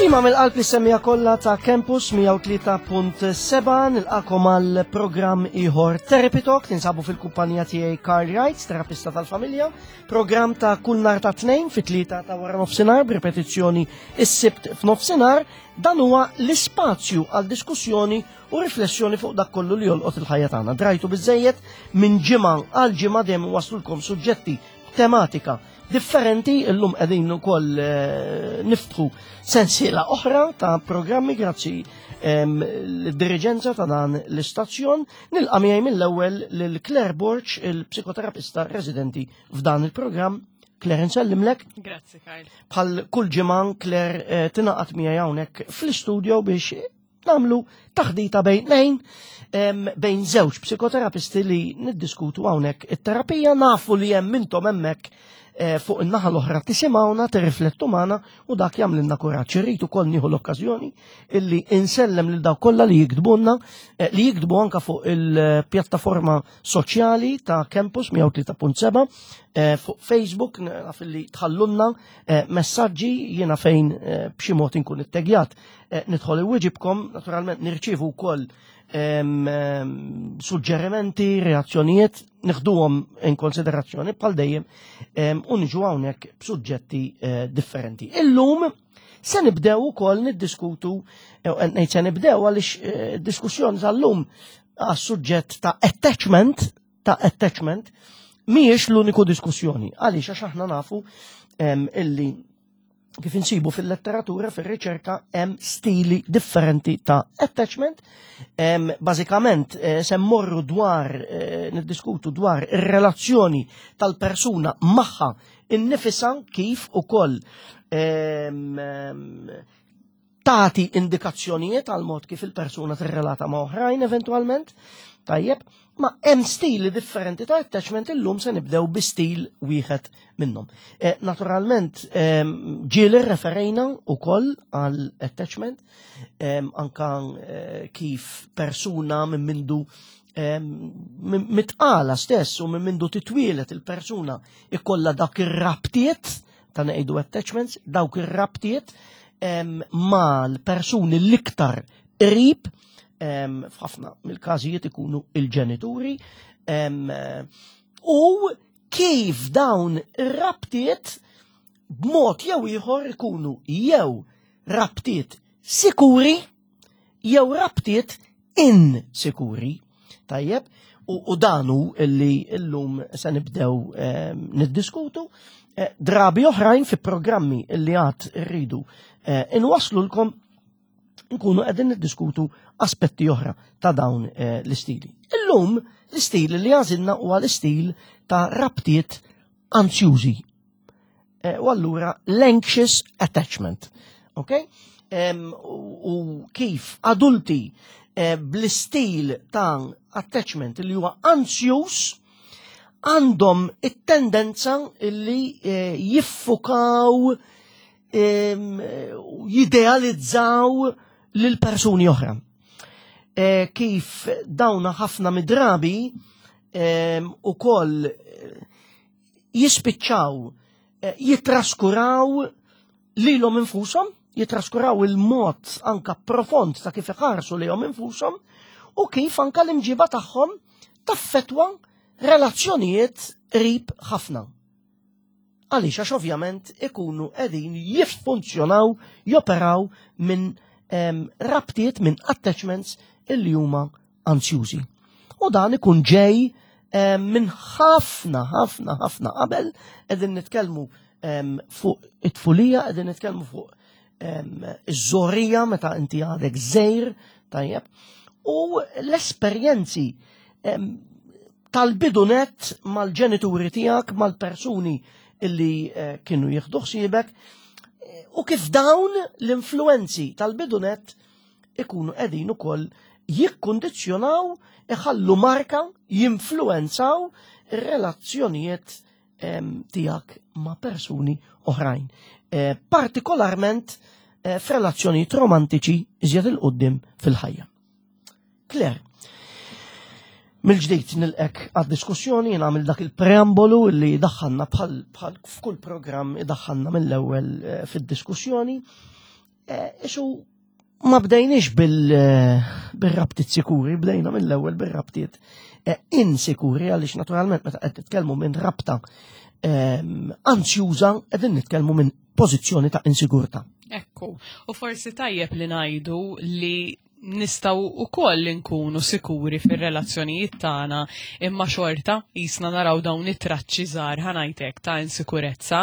Tislima mill-qalb li semmija kollha ta' Campus 103.7 nilqakom għal programm ieħor Therapy Talk tinsabu fil-kumpanija tiegħi Carl Wright, terapista tal-familja, programm ta' kull nhar ta' tnejn fit-tlieta ta' wara nofsinhar b'ripetizzjoni is-sibt f'nofsinhar, dan huwa l-ispazju għal diskussjoni u riflessjoni fuq dak kollu li jolqot il-ħajja tagħna. Drajtu biżejjed minn ġimgħa għal ġimgħa dejjem waslulkom suġġetti tematika differenti, illum qegħdin ukoll eh, niftħu sensiela oħra ta' programmi grazzi ehm, l-diriġenza ta' dan l-istazzjon. Nilqa' miegħi mill-ewwel lil Claire Borch, il-psikoterapista residenti f'dan il-programm. Claire, nsellimlek. Grazzi, Karl. Bħal kull ġimgħa Claire eh, tingħaqad miegħi hawnhekk fl-istudio biex Namlu taħdita bejn nejn bejn żewġ psikoterapisti li niddiskutu hawnhekk it-terapija nafu li hemm intom hemmhekk eh, fuq in-naħa l-oħra tisimgħuna, tirriflettu magħna u dak jagħmlilna kuraġġ. Irrid ukoll nieħu l-okkażjoni illi insellem lil dawk kollha li jiktbulna, eh, li jiktbu anka fuq il-pjattaforma soċjali ta' Campus 103.7 eh, fuq Facebook naf li tħallunna messaġġi jiena fejn b'xi mod inkun ittegjat Eh, nidħol iwieġibkom, naturalment nirċievu wkoll suġġerimenti, reazzjonijiet, nieħduhom in konsiderazzjoni bħal dejjem u niġu hawnhekk b'suġġetti eh, differenti. Illum se nibdew ukoll niddiskutu, eh, ngħid se nibdew għaliex diskussjoni tal-lum għas-suġġett ta' attachment, ta' attachment, mhijiex l-uniku diskussjoni. Għaliex għax aħna nafu illi kif insibu fil-letteratura, fil-riċerka, hemm stili differenti ta' attachment. Bażikament eh, se mmorru dwar, eh, niddiskutu dwar ir-relazzjoni tal-persuna magħha innifisa kif ukoll tagħti indikazzjonijiet għal mod kif il-persuna tirrelata ma' oħrajn eventwalment. Tajjeb, ma hemm stili differenti ta' attachment illum se nibdew bi stil wieħed minnhom. Eh, naturalment, ehm, ġieli referejna wkoll għal attachment, ehm, anka eh, kif persuna minn mindu ehm, mitqala stess u minn mindu titwielet il-persuna ikolla dak ir-rabtiet ta' ngħidu attachments, dawk ir-rabtiet mal-persuni l-iktar qrib f'ħafna mill-każijiet ikunu il-ġenituri u kif dawn ir-rabtiet b'mod jew ieħor ikunu jew rabtiet sikuri jew rabtiet insikuri. Tajjeb, u, u danu illi illum se nibdew eh, niddiskutu, eh, drabi oħrajn fi programmi illi għad rridu eh, inwaslulkom nkunu qegħdin niddiskutu aspetti oħra ta' dawn eh, l-istili. Illum l-istil li għażilna huwa l-istil ta' rabtiet anzjużi. Eh, u allura l-anxious attachment. Ok? U kif adulti eh, bl-istil ta' attachment li huwa anzjuż għandhom it-tendenza li eh, jiffukaw jidealizzaw lil persuni oħra. Kif dawna ħafna midrabi u koll jispiċċaw eh, jitraskuraw lilhom infushom, jitraskuraw il-mod anka profond ta' kif iħarsu lihom infushom u kif anka l-imġiba tagħhom taffetwa relazzjonijiet qrib ħafna. Għaliex għax ovvjament ikunu qegħdin jiffunzjonaw, joperaw minn rabtiet minn attachments illi huma anzjużi. U dan ikun ġej eh, minn ħafna, ħafna, ħafna qabel qegħdin nitkellmu fuq it-tfulija, qegħdin nitkellmu fuq iż-żorija meta inti għadek żejr, tajjeb, u l-esperjenzi tal-bidunet mal-ġenituri tiegħek, mal-persuni illi eh, kienu jieħdu ħsiebek, u kif dawn l-influenzi tal-bidunet ikunu qegħdin ukoll jikkundizzjonaw, iħallu marka, jinfluenzaw ir-relazzjonijiet tiegħek ma' persuni oħrajn. Eh, partikolarment eh, f'relazzjonijiet romantiċi iżjed il-qoddim fil-ħajja. Claire, mill-ġdid nilqek għad-diskussjoni jien għamil dak il-preambolu li daħħalna bħal f'kull programm idaħħalna mill-ewwel eh, fid-diskussjoni. Eh, isu ma bdejniex eh, bil-rabtiet sikuri, bdejna mill-ewwel bil-rabtiet eh, insikuri għaliex naturalment meta qed nitkellmu minn rabta ehm, anzjuża qegħdin nitkellmu minn pożizzjoni ta' insigurtà. Ekku, u forsi tajjeb li ngħidu li nistaw u koll nkunu sikuri fil-relazzjonijiet tagħna imma xorta jisna naraw dawn it-traċċi żgħar ħanajtek ta' insikurezza.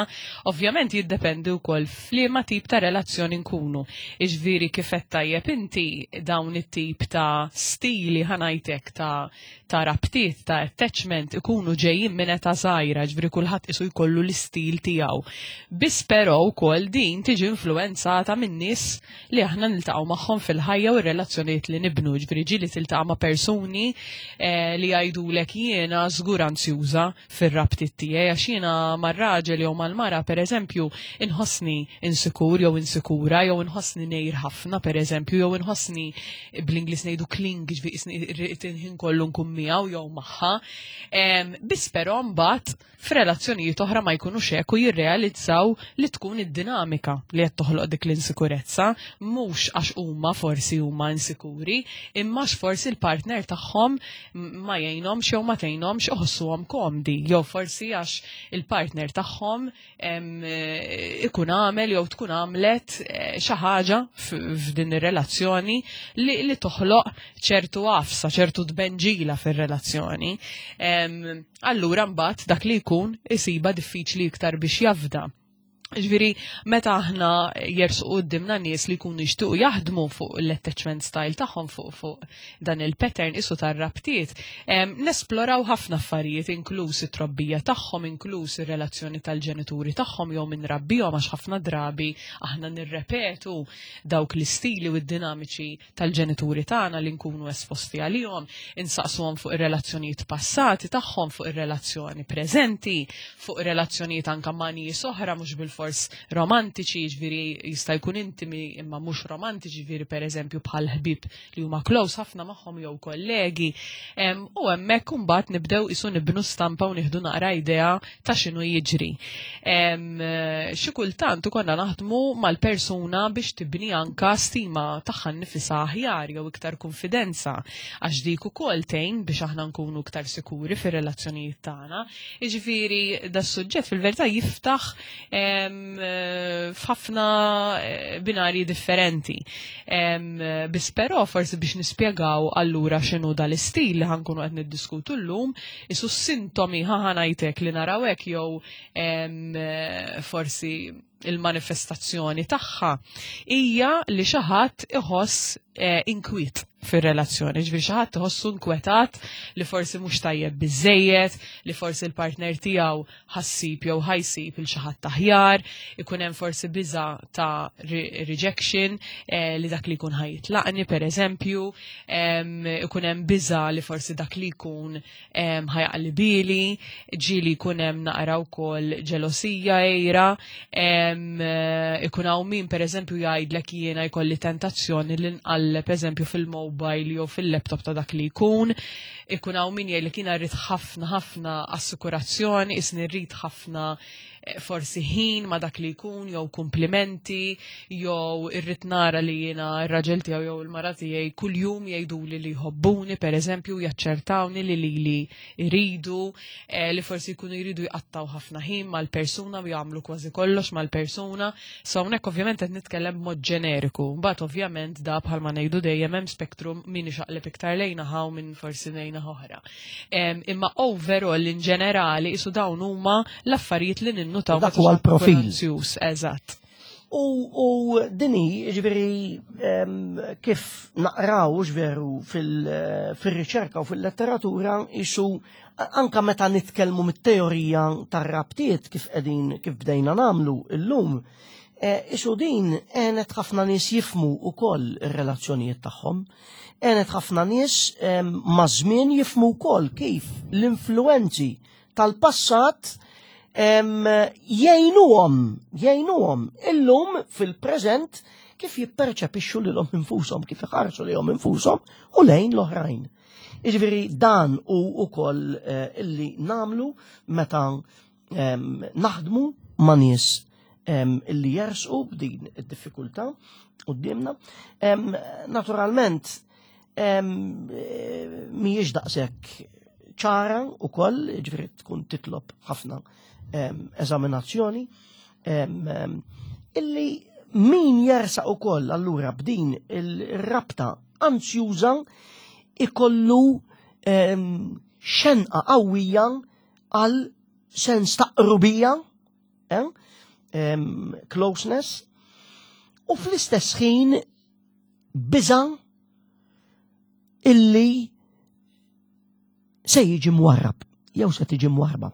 Ovvjament jiddependi wkoll f'liema tip ta' relazzjoni nkunu. Iġviri kif qed tajjeb inti dawn it-tip ta' stili ħanajtek ta' ta' rabtiet ta' attachment ikunu ġejjin minn età żgħira, ġifieri kulħadd isu jkollu l-istil tiegħu. Biss però wkoll din tiġi influwenzata minn nies li aħna niltaqgħu magħhom fil-ħajja u r-relazzjonijiet li nibnu, ġifieri ġieli tiltaqa' ma' persuni eh, li jgħidulek jiena żgur anzjuża fir-rabtiet tiegħi għax jiena mar-raġel jew mal-mara pereżempju inħossni insikur jew insikura jew inħossni ngħir ħafna pereżempju jew inħossni bl-Ingliż ngħidu cling ġifieri ħin kollu nkun miegħu jew magħha. Biss però mbagħad f'relazzjonijiet oħra ma jkunux hekk u jirrealizzaw li tkun id-dinamika li qed toħloq dik l-insikurezza, mhux għax huma forsi huma insikuri, imma għax forsi l-partner tagħhom ma jgħinhomx jew ma tgħinhomx iħossuhom komdi, jew forsi għax il-partner tagħhom ikun għamel jew tkun għamlet eh, xi ħaġa f'din ir-relazzjoni li, li toħloq ċertu għafsa, ċertu tbenġila fir-relazzjoni. Allura mbagħad dak li jkun isiba diffiċli iktar biex jafda. Ġviri, meta aħna jersu qudiemna nies li jkunu jixtiequ jaħdmu fuq l-attachment style tagħhom fuq fuq dan il-pattern isu tar-rabtiet, nesploraw ħafna affarijiet inkluż it-trobbija tagħhom, inkluż ir-relazzjoni tal-ġenituri tagħhom jew minn rabbihom għax ħafna drabi aħna nirrepetu dawk l-istili u d-dinamiċi tal-ġenituri tagħna li nkunu esposti għalihom, insaqsuhom fuq ir-relazzjonijiet passati tagħhom, fuq ir-relazzjoni preżenti, fuq relazzjonijiet anka ma' nies oħra mhux bilfors romantiċi, jiġifieri jista' jkun intimi imma mhux romantiċi, jiġifieri pereżempju bħal ħbieb li huma close ħafna magħhom jew kollegi. U hemmhekk imbagħad nibdew isu nibnu stampa u nieħdu naqra idea ta' x'inhu jiġri. Xi kultant ikollna naħdmu mal-persuna biex tibni anka stima tagħha nnifisha aħjar jew iktar kunfidenza għax dik ukoll tgħin biex aħna nkunu iktar sikuri fir-relazzjonijiet tagħna. Jiġifieri das-suġġett fil-verità jiftaħ f'ħafna eh, binarji differenti. Biss però forsi biex nispjegaw allura x'inhu dal-istil li ħankunu qed niddiskutu llum, Isu sintomi ħa ngħidlek li naraw hekk jew forsi il-manifestazzjoni tagħha hija li xi ħadd iħoss eh, inkwiet fir-relazzjoni, ġifieri xi ħadd iħossu inkwetat li forsi mhux tajjeb biżejjed, li forsi l-partner tiegħu ħassib jew ħajsib il xi ħadd aħjar, ikun hemm forsi biża ta' rejection eh, li dak li jkun ħajitlaqni pereżempju, ikun hemm biża li forsi dak li jkun ħajaqli bili, ġieli jkun hemm naqra wkoll ġelosija ejra, ikun hawn min pereżempju jgħidlek jiena jkolli tentazzjoni li nqalleb eżempju fil-mobile jew fil-laptop ta' dak li jkun, ikun hawn min jgħidlek jiena rrid ħafna ħafna assikurazzjoni, isni rrid ħafna eh, forsi ħin ma dak li jkun jew kumplimenti jew irrid nara li jiena r-raġel tiegħu jew il-mara tiegħi kuljum jgħiduli li jħobbuni pereżempju jaċċertawni li lili jridu eh, li forsi jkunu jridu jqattaw ħafna ħin mal-persuna u jagħmlu kważi kollox mal-persuna. So hawnhekk ovvjament qed nitkellem b'mod ġeneriku. Mbagħad ovvjament da bħalma ngħidu dejjem hemm spektrum min ixaqleb iktar lejna ħaw minn forsi lejna oħra. Imma overall in ġenerali isu dawn huma l-affarijiet li ninnutaw. Dak huwa l-profil. Eżatt. U, u dini, ġveri, kif naqraw, ġveru, fil-riċerka u fil-letteratura, isu anka meta nitkellmu mit-teorija tar-rabtiet kif qegħdin kif bdejna namlu illum, e, isu din għenet ħafna nies jifmu ukoll ir-relazzjonijiet tagħhom. Għenet ħafna nies maż-żmien jifmu wkoll kif l-influenzi tal-passat jgħinuhom, jgħinuhom illum fil-preżent kif jipperċepixxu lilhom infushom, kif iħarsu lilhom infushom u lejn l-oħrajn. Jiġifieri dan hu wkoll eh, illi namlu meta naħdmu ma' nies Illi jersqu b'din id-diffikultà quddiemna. Naturalment, mhijiex daqshekk ċara wkoll, ġifieri tkun titlob ħafna eżaminazzjoni, illi min jersaq ukoll allura b'din il-rabta anzjuża ikollu xenqa qawwija għal sens ta' qrubija, eh? Closeness, u fl-istess ħin biża illi se jiġi mwarrab, jew se tiġi mwarrba.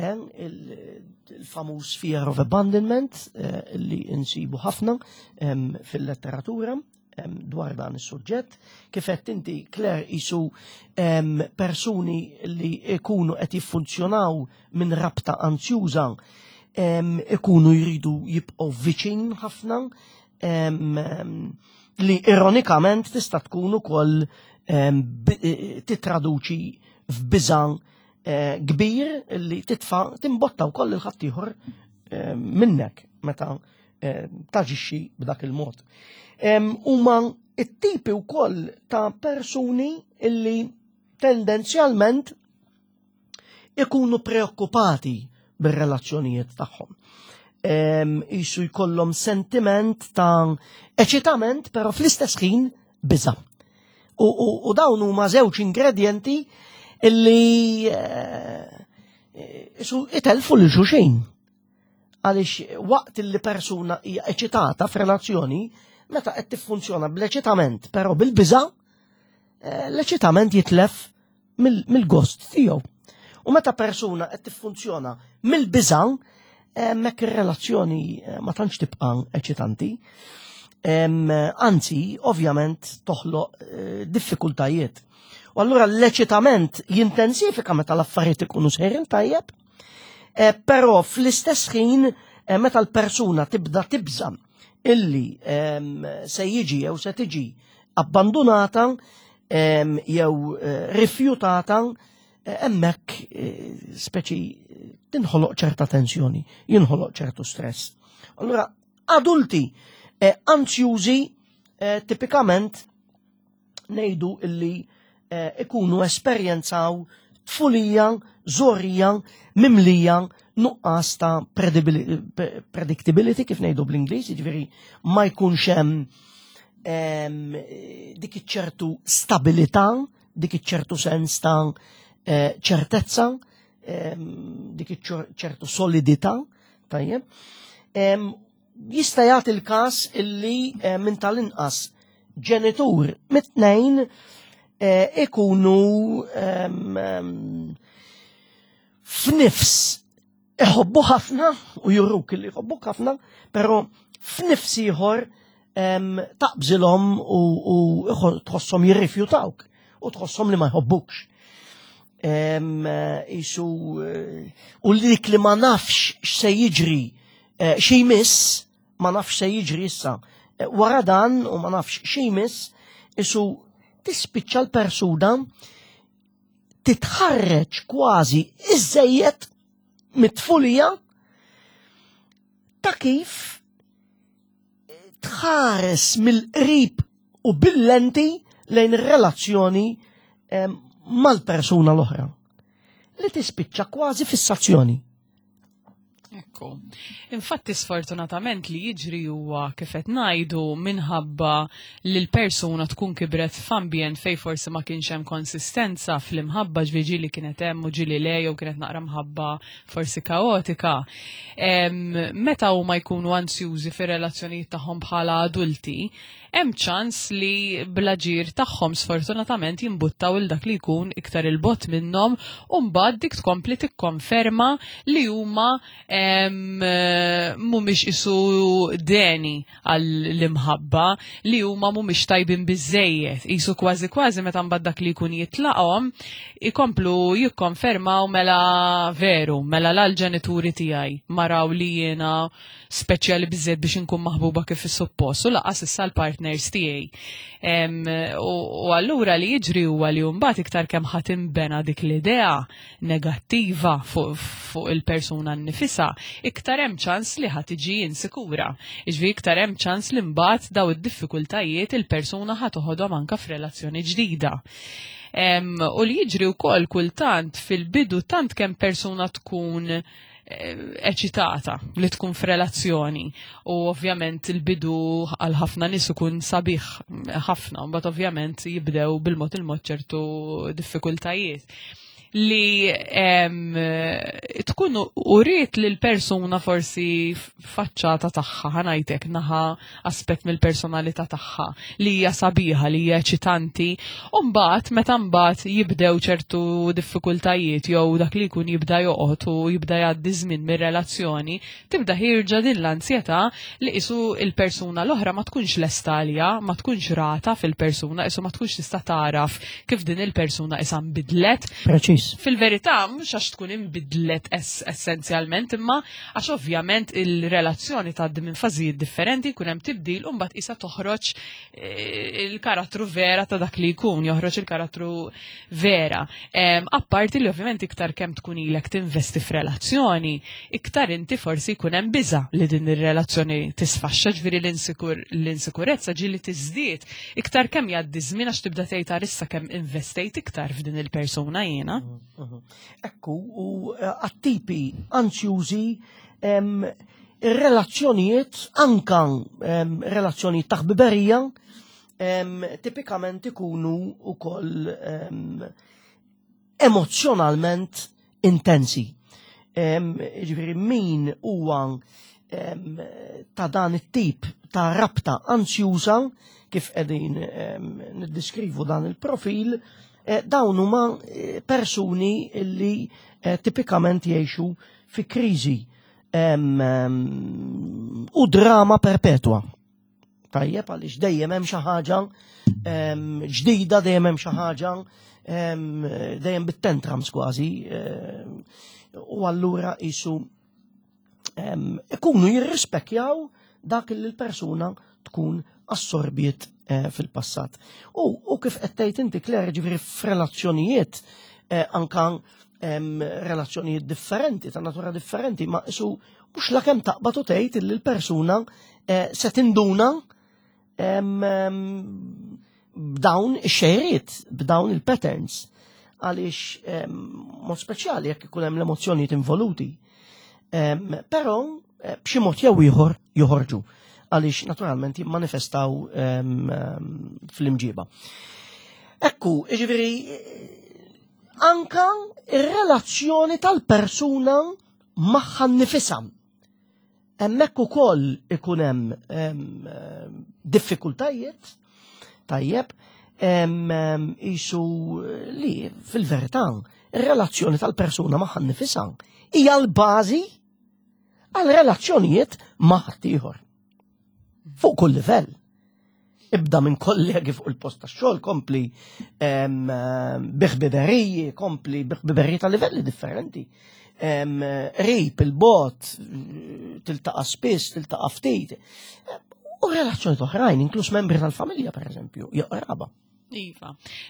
Il-famuż fear of abandonment eh, li insibu ħafna fil-letteratura dwar dan is-suġġett. Kif qed inti Claire isu persuni li ikunu qed jiffunzjonaw minn rabta anzjuża ikunu jridu jibqgħu viċin ħafna li ironikament tista' tkun ukoll eh, titraduċi f'biża eh, kbir li titfa' timbotta wkoll il-ħaddieħor minnek meta eh, taġixxi b'dak il-mod. Huma it-tipi wkoll ta' persuni illi tendenzjalment ikunu preokkupati bir-relazzjonijiet tagħhom. Isu jkollhom sentiment ta' eċitament, però fl-istess ħin biża. U, u, u dawn huma żewġ ingredienti illi eh, isu itelfu lil xulxin. Għaliex waqt li persuna hija eċitata f'relazzjoni, meta qed tiffunzjona bl-eċitament, però bil-biża, eh, l-eċitament jitlef mill-gost tiegħu. U meta persuna qed tiffunzjona mill-biża, hemmhekk ir-relazzjoni eh, ma tantx tibqa' eċitanti. Anzi, ovvjament toħloq eh, diffikultajiet. U allura l-eċitament jintensifika meta l-affarijiet ikunu sejrin tajjeb, eh, però fl-istess ħin meta l-persuna tibda tibża illi se jiġi jew se tiġi abbandunata jew eh, rifjutata eh, hemmhekk eh, speċi tinħoloq ċerta tensjoni, jinħoloq ċertu stress. Allura adulti anzjużi tipikament ngħidu illi ikunu esperjenzaw tfulija, żorija, mimlija nuqqas ta' predictability kif ngħidu bl-Ingliż, jiġifieri ma jkunx hemm dik iċ-ċertu stabilità, dik iċ-ċertu sens ta' eh, ċertezza, dik iċ-ċertu solidità, tajjeb. Jista' jagħti l-każ illi eh, minn tal-inqas ġenitur mit-tnejn eh, ikunu f'nifs iħobbu ħafna u juruk li jħobbuk ħafna, pero f'nifs ieħor taqbżilhom u tħosshom jirrifjutawk u tħosshom li ma jħobbukx. Isu eh, u dik li ma nafx x'se jiġri eh, xi jmiss, ma nafx se jiġri issa. Eh, wara dan u ma nafx xi jmiss, isu tispiċċa l-persuna titħarreġ kważi iżejjed mit-tfulija ta' kif tħares mill-qrib u bil-lenti lejn ir-relazzjoni mal-persuna l-oħra li tispiċċa kważi fissazzjoni. Ekku. Infatti sfortunatament li jiġri huwa kif qed ngħidu minħabba li l-persuna tkun kibret f'ambjent fej forsi ma kienx hemm konsistenza fl-imħabba ġviġi li kienet hemm u ġili le jew kienet naqra mħabba forsi kaotika. Meta huma jkunu ansjużi fir-relazzjonijiet tagħhom bħala adulti, hemm ċans li bl-aġir tagħhom sfortunatament jimbuttaw il dak li jkun iktar il-bot minnhom u mbagħad dik tkompli tikkonferma li huma mhumiex isu deni għall-imħabba li huma mhumiex tajbin biżejjed. Isu kważi kważi meta mbagħad dak li jkun jitlaqhom ikomplu jikkonfermaw mela veru, mela l-ġenituri tiegħi maraw li jiena speċjali biżżejjed biex inkun maħbuba kif suppost u laqas issa l-partners tiegħi. U allura li jiġri huwa li mbagħad iktar kemm ħadd inbena dik l-idea negattiva fuq il-persuna nnifisha, iktar hemm ċans li ħa tiġi insikura. Jiġifieri iktar hemm ċans li mbagħad daw id-diffikultajiet il-persuna ħa toħodhom anke f'relazzjoni ġdida. U li jiġri wkoll kultant fil-bidu tant kemm persuna tkun eċitata li tkun f'relazzjoni u ovvjament il-bidu għal ħafna nies ikun sabiħ ħafna, mbagħad ovvjament jibdew bil-mod il-mod ċertu diffikultajiet li tkun uriet li l-persuna forsi faċċata tagħha ħanajtek naħa aspett mill-personalità tagħha li hija sabiħa, li hija eċitanti, u mbagħad meta mbagħad jibdew ċertu diffikultajiet jew dak li jkun jibda joqgħod u jibda jgħaddi żmien mir-relazzjoni, tibda ħierġa din l-ansjetà li qisu il-persuna l-oħra ma tkunx lesta għaliha, ma tkunx rata fil-persuna, qisu ma tkunx tista' tagħraf kif din il-persuna issa nbidlet. Preċiż. Fil-verità, mhux għax tkun inbidlet essenzjalment, imma għax ovvjament il-relazzjoni tgħaddi minn fażijiet differenti, jkun hemm tibdil u mbagħad qisha toħroġ il-karattru vera ta' dak li jkun, joħroġ il-karattru vera. Apparti li ovvjament iktar kemm tkun ilek tinvesti f'relazzjoni, iktar inti forsi jkun hemm biża' li din ir-relazzjoni tisfaxxa, ġifieri l-insikurezza ġieli tiżdied iktar kemm jgħaddi żmien għax tibda tgħid għar issa kemm investejt iktar f'din il-persuna jiena. Ekku, u għat-tipi ansjużi ir-relazzjonijiet, anka relazzjonijiet ta' ħbiberija, tipikament ikunu wkoll emozjonalment intensi. Ġifieri min huwa ta' dan it-tip ta' rabta ansjuża kif qegħdin niddiskrivu dan il-profil, dawn huma persuni li tipikament jgħixu fi kriżi u drama perpetwa. Tajjeb, għaliex dejjem hemm xi ħaġa ġdida, dejjem hemm xi ħaġa dejjem bit-tantrums kważi, u allura qisu ikunu jirrispekjaw dak li l-persuna tkun assorbiet fil-passat. U kif qed tgħid inti, Claire, ġifieri f'relazzjonijiet, anka relazzjonijiet differenti, ta' natura differenti, ma isu mhux la kemm taqbad u tgħid li l-persuna se tinduna b'dawn ix-xejriet, b'dawn il-patterns, għaliex mod speċjali jekk ikun hemm l-emozzjonijiet involuti. Però b'xi mod jew ieħor joħorġu għaliex naturalment jimmanifestaw fl-imġiba. Ekku, ġifieri anka ir-relazzjoni tal-persuna magħha nnifisha. Hemmhekk ukoll ikun hemm diffikultajiet, tajjeb, isu li fil-verità ir-relazzjoni tal-persuna magħha nnifisha hija l-bażi għal relazzjonijiet ma' ħaddieħor. Fuq kull livell. Ibda minn kollegi fuq il-post tax-xogħol, kompli biħbiberiji, kompli biħbiberiji ta' livelli differenti. Qrib, il-bot, tiltaqa' spiss, tiltaqa' ftit. U relazzjoni oħrajn, inkluż membri tal-familja, per eżempju, jew qraba. Iva.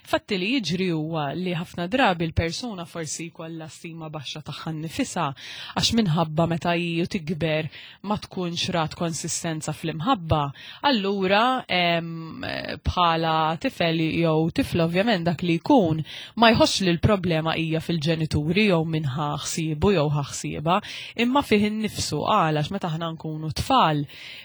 Fatti li jiġri huwa li ħafna drabi l-persuna forsi jkollha stima baxxa tagħha nnifisha għax minħabba meta hi tikber ma tkunx rat konsistenza fl-imħabba, allura bħala tifel jew tifla ovvjament dak li jkun ma jħossx li l-problema hija fil-ġenituri jew min ħa ħsiebu jew ħa ħsiebha, imma fih innifsu għal għax meta aħna nkunu tfal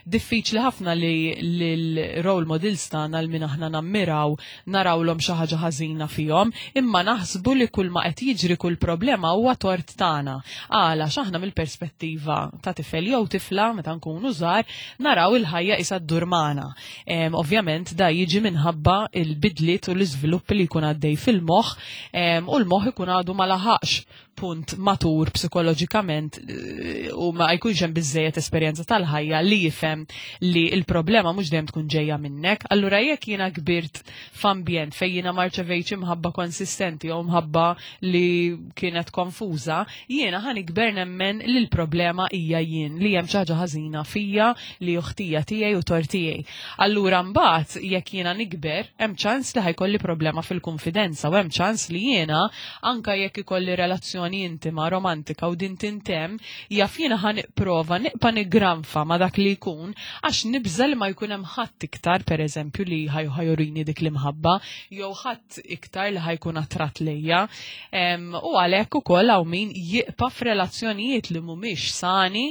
Diffiċli ħafna li l-role models tagħna l min aħna nammiraw narawlhom xi ħaġa ħażina fihom, imma naħsbu li kull ma qed jiġri kull problema huwa tort tagħna. Għala għax aħna mill-perspettiva ta' tifel jew tifla meta nkunu żgħar naraw il-ħajja qisha ddur magħna. Ovvjament da jiġi minħabba l-bidliet u l-iżviluppi li jkun għaddej fil-moħħ u l-moħħ ikun għadu ma laħaqx punt matur psikoloġikament eh, u ma jkunx hemm biżejjed esperjenza tal-ħajja li jifhem li l-problema mhux dejjem tkun ġejja minnek. Allura jekk jiena kbirt f'ambjent fejn jiena ma rċevejtx imħabba konsistenti jew mħabba li kienet konfuża, jiena ħa nikber nemmen li l-problema hija jien, li hemm xi ħaġa ħażina fija li ħtija tiegħi u tort tiegħi. Allura mbagħad jekk jiena nikber, hemm ċans li ħajkolli problema fil-kunfidenza u hemm ċans li jiena anka jekk ikolli relazzjoni relazzjoni intima, romantika u din tintemm, jaf jiena ħa nipprova nibqa' niggranfa ma' dak li jkun għax nibża' li ma jkun hemm ħadd iktar pereżempju li ħa jurini dik l-imħabba jew ħadd iktar li ħa jkun attratt lejja. U għalhekk ukoll hawn min jibqa' f'relazzjonijiet li mhumiex sani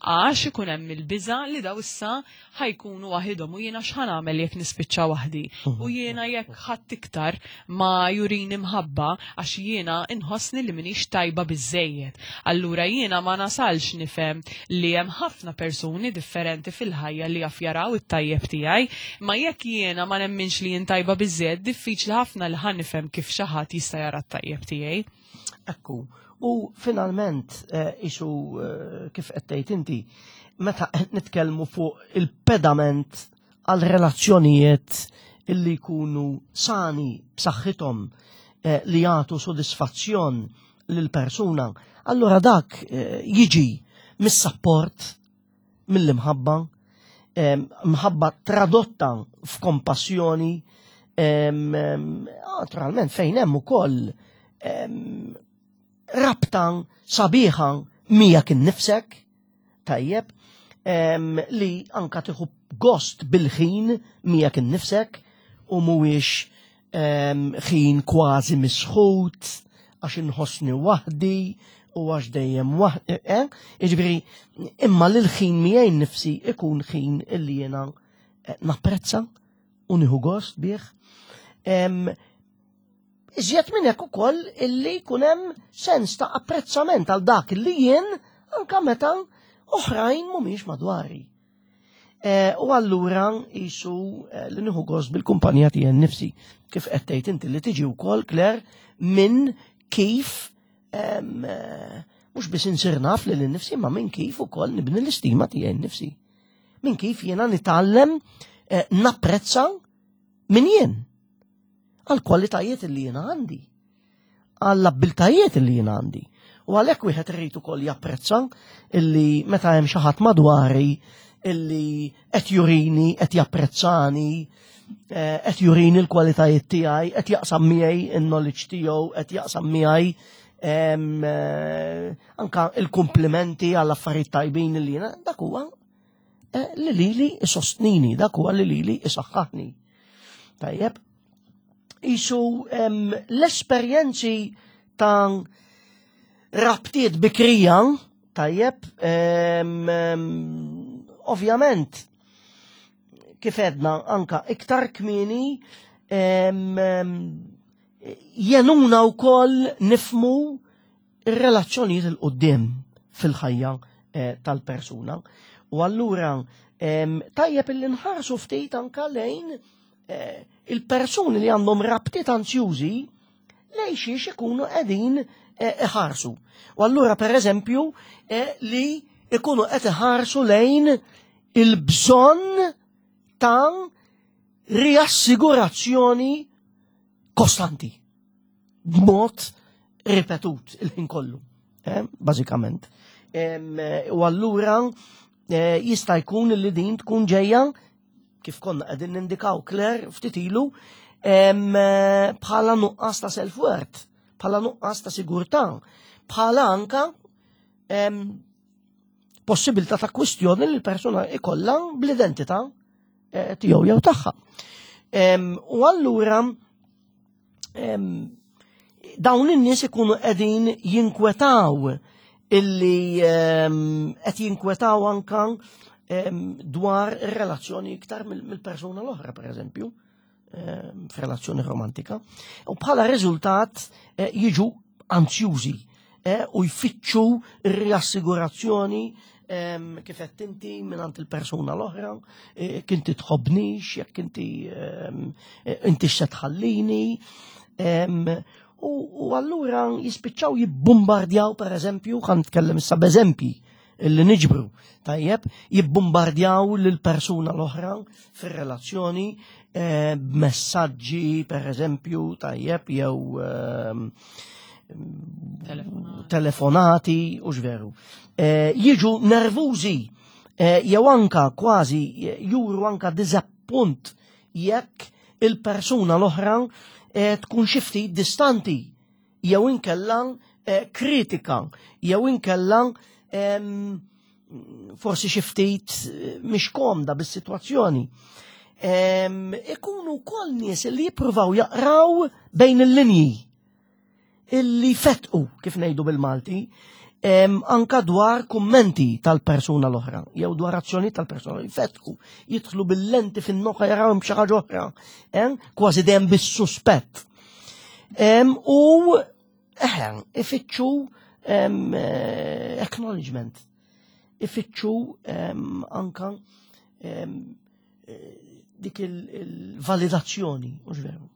għax ikun hemm il-biża' li daw issa ħa jkunu waħidhom u jiena x'ħa nagħmel jekk nispiċċa waħdi u jiena jekk ħadd iktar ma jurini mħabba għax jiena inħossni li minix tajba biżejjed. Allura jiena ma nasalx nifhem li hemm ħafna persuni differenti fil-ħajja li jaf jaraw it-tajjeb tiegħi, ma jekk jiena ma nemminx li jien tajba biżejjed diffiċli ħafna li ħa nifhem kif xi ħadd jista' jara t-tajjeb tiegħi. Ekku, u finalment eh, isu eh, kif qed tgħid inti, meta qed nitkellmu fuq il-pedament għal relazzjonijiet illi jkunu sani b'saħħithom eh, li jagħtu sodisfazzjon lil persuna, allura dak jiġi mis-sapport mill-imħabba, mħabba tradotta f'kompassjoni, naturalment fejn hemm ukoll rabta sabiħa miegħek innifsek, tajjeb, li anka tieħu gost bil-ħin miegħek innifsek u mhuwiex ħin kważi misħut għax inħossni waħdi u għax dejjem waħdi. Eh? Jiġifieri, imma li l-ħin miegħi nnifsi ikun ħin illi jiena eh, napprezza u nieħu gost bih. Iżjed minn hekk ukoll illi jkun hemm sens ta' apprezzament għal dak li jien anka meta oħrajn mhumiex madwari. Eh, u allura jisu eh, li nieħu gost bil-kumpanija tiegħi nnifsi. Kif qed tgħid inti li tiġi wkoll Claire minn kif eh, mhux biss insir naf lil innifsi ma minn kif ukoll nibni l-istima tiegħi nnifsi. Minn kif jiena nitgħallem napprezza min jien għal kwalitajiet li jiena għandi. għall-abbiltajiet li jien għandi. U għalhekk wieħed irid ukoll japprezza illi meta hemm xi ħadd madwari illi qed jurini, qed japprezzani, eh, qed jurini l-kwalitajiet tiegħi, qed jaqsam miegħi in-knowledge tiegħu, qed jaqsam miegħi eh, anka il-kumplimenti għall affarijiet tajbin li jiena dak huwa eh, li lili isostnini, dak huwa li lili isaħħaħni. Tajjeb, Isu l-esperjenzi ta' rabtiet bikrija, tajjeb, ovvjament, kif edna anka iktar kmini, jenuna u koll nifmu ir-relazzjonijiet il-qoddim fil-ħajja eh, tal-persuna. U allura tajjeb illi nħarsu ftit anka lejn eh, il-persuni li għandhom rabtiet anzjużi lejn xiex ikunu qegħdin eh, iħarsu. U allura per eżempju li ikunu qed iħarsu lejn il-bżonn ta' riassigurazzjoni kostanti. B'mod ripetut il-ħin kollu, eh, bażikament. Eh, u allura eh, jista' jkun li din tkun ġejja kif konna qegħdin nindikaw Claire ftit ilu bħala nuqqas ta' self-worth, bħala nuqqas ta' sigurtà, bħala anka possibilità ta' kwistjoni li l-persuna ikollha bl-identità tiegħu jew tagħha. U allura dawn in-nies ikunu qegħdin jinkwetaw illi qed jinkwetaw anka dwar ir-relazzjoni iktar mill-persuna l-oħra, per eżempju, f'relazzjoni romantika. U bħala riżultat eh, jiġu anzjużi eh, u jfittxu r-riassigurazzjoni kif qed inti mingħand il-persuna l-oħra, e, jekk inti tħobbnix, jekk inti e, inti se tħallini. U allura jispiċċaw jibbombardjaw per eżempju, ħan nitkellem issa b'eżempji li niġbru, tajjeb, jibbombardjaw lil persuna l-oħra fir-relazzjoni eh, b'messaġġi per eżempju, tajjeb, jew telefonati u x'veru. Eh, jiġu nervużi eh, jew anka kważi juru anka diżappunt jekk il-persuna l-oħra tkun xi ftit distanti jew inkella eh, kritika jew inkella forsi xi ftit eh, mhix komda bis-sitwazzjoni. Ikunu wkoll nies li jippruvaw jaqraw bejn il-linji illi fetqu kif ngħidu bil-Malti anka dwar kummenti tal-persuna l-oħra jew dwar azzjoni tal-persuna jfetqu jidħlu bil-lenti fin-noka jaraw xi ħaġa oħra, kważi dejjem bis-suspett. U eħe, ifittxu eh, acknowledgement, ifittxu anka eh, dik il-validazzjoni, mhux veru.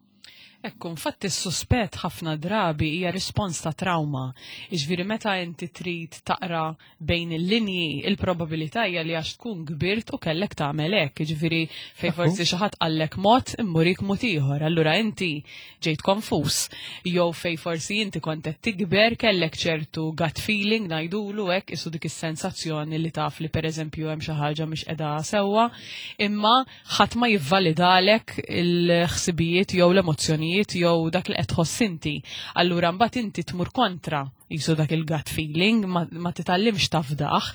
Ekku, infatti s-suspett ħafna drabi hija rispons ta' trauma. Iġviri meta inti trid taqra bejn il-linji, il-probabilità hija li għax tkun kbirt u kellek tagħmel hekk. Jiġifieri fejn forsi xi ħadd qallek mod immurik mod ieħor. Allura inti ġejt konfuż. Jew fejn forsi inti kont qed tikber kellek ċertu gut feeling ngħidulu hekk isu dik is-sensazzjoni li taf li pereżempju hemm xi ħaġa mhix qiegħda sewwa, imma ħadd ma jivvalidalek il-ħsibijiet jew l-emozzjonijiet jew dak li qed tħoss inti. Allura mbagħad inti tmur kontra jisu dak il-gut feeling, ma, ma titgħallimx tafdaħ.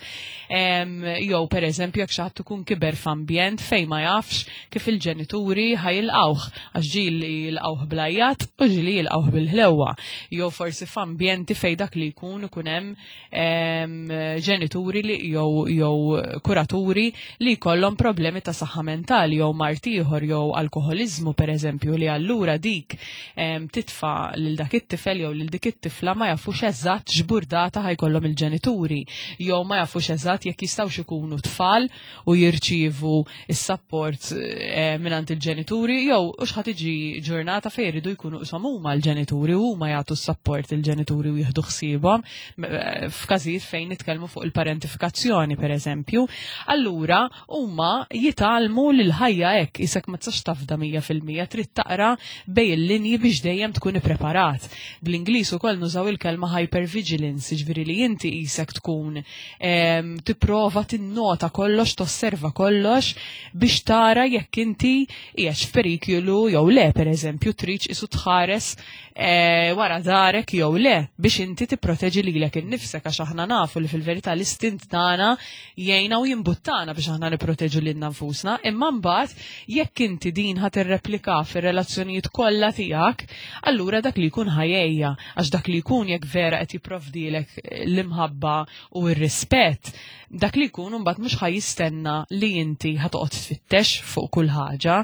Jew per eżempju jekk xi ħadd ikun kiber f'ambjent fejn ma jafx kif il-ġenituri ħajilqawh, għax ġieli jilqawh blajjat u ġieli jilqawh bil-ħlewwa. Jew forsi f'ambjenti fejn dak li jkun ikun hemm ġenituri li jew jew kuraturi li jkollhom problemi ta' saħħa mentali jew mard ieħor jew alkoħoliżmu pereżempju li allura dik titfa' lil dak it-tifel jew lil dik it-tifla ma jafux eżatt x'burdata ħajkollhom il-ġenituri jew ma jafux eżatt jekk jistgħux ikunu tfal u jirċievu s-sapport eh, mingħand il-ġenituri jew u x'ħa tiġi ġurnata fejn jridu jkunu qishom huma l-ġenituri u huma jagħtu s-sapport il-ġenituri u jieħdu ħsiebhom eh, f'każijiet fejn nitkellmu fuq il-parentifikazzjoni pereżempju. Allura huma jitgħallmu lil ħajja hekk isek ma tistax tafda 100% trid taqra bej il-linji biex dejjem tkun ippreparat. Bl-Ingliż ukoll nużaw il-kelma hypervigilance, jiġifieri li inti isek tkun tipprova tinnota kollox, tosserva kollox biex tara jekk inti qiegħed f'periklu jew le, pereżempju, tridx isu tħares eh, wara darek jew le biex inti tipproteġi lilek innifsek għax aħna nafu li fil-verità l-istint tagħna jgħinna u jimbuttana biex aħna nipproteġu lilna nfusna, imma mbagħad jekk inti din ħa tirreplika fir-relazzjonijiet kollha tiegħek, allura dak li jkun ħajejja għax dak li jkun jekk vera qed jipprovdilek l-imħabba u r-rispett, dak li jkun imbagħad mhux ħa jistenna li inti ħa toqgħod tfittex fuq kull ħaġa.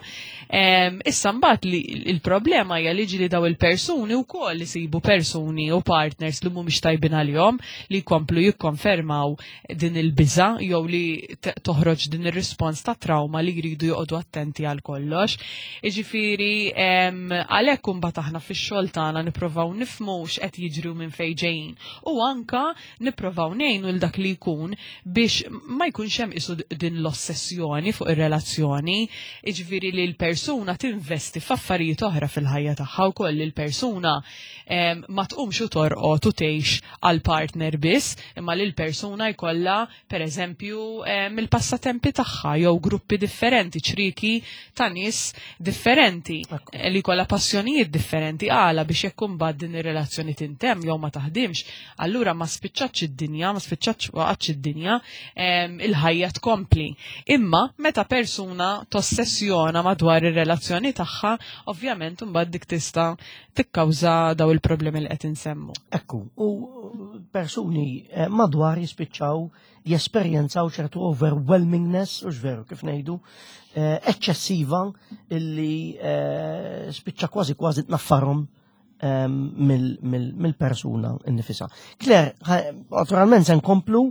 Issa mbagħad li il-problema hija li ġieli daw il-persuni wkoll isibu persuni u partners li mhumiex tajbin għalihom li jkomplu jikkonfermaw din il-biża' jew li toħroġ din ir-rispons ta' trauma li jridu joqogħdu attenti għal kollox. Jiġifieri għalhekk imbagħad aħna fix-xogħol tagħna nipprovaw nifhmu x'qed jiġri u minn fejn ġejjin u anka nipprovaw ngħinu l dak li jkun biex ma jkunx hemm isu din l-ossessjoni fuq ir-relazzjoni, jiġifieri li l-persuna tinvesti f'affarijiet oħra fil-ħajja tagħha wkoll li l-persuna ma tqumx u torqod u tgħix għal partner biss, imma li l-persuna jkollha pereżempju mill-passatempi tagħha jew gruppi differenti, ċriki ta' nies differenti li jkollha passjonijiet differenti għala biex jekk imbagħad din ir-relazzjoni tintemm jew ma taħdimx, allura ma spiċċatx id-dinja, ma spiċċatx waqgħatx id-dinja, il-ħajja tkompli. Imma meta persuna tossessjona madwar ir-relazzjoni tagħha, ovvjament imbagħad dik tista' tikkawża daw il-problemi li qed insemmu. Ekku, u persuni eh, madwar jispiċċaw jesperjenzaw ċertu overwhelmingness, u veru kif ngħidu, eh, eċċessiva illi eh, spiċċa kważi kważi tnaffarhom mill-persuna innifisa. Claire, naturalment se nkomplu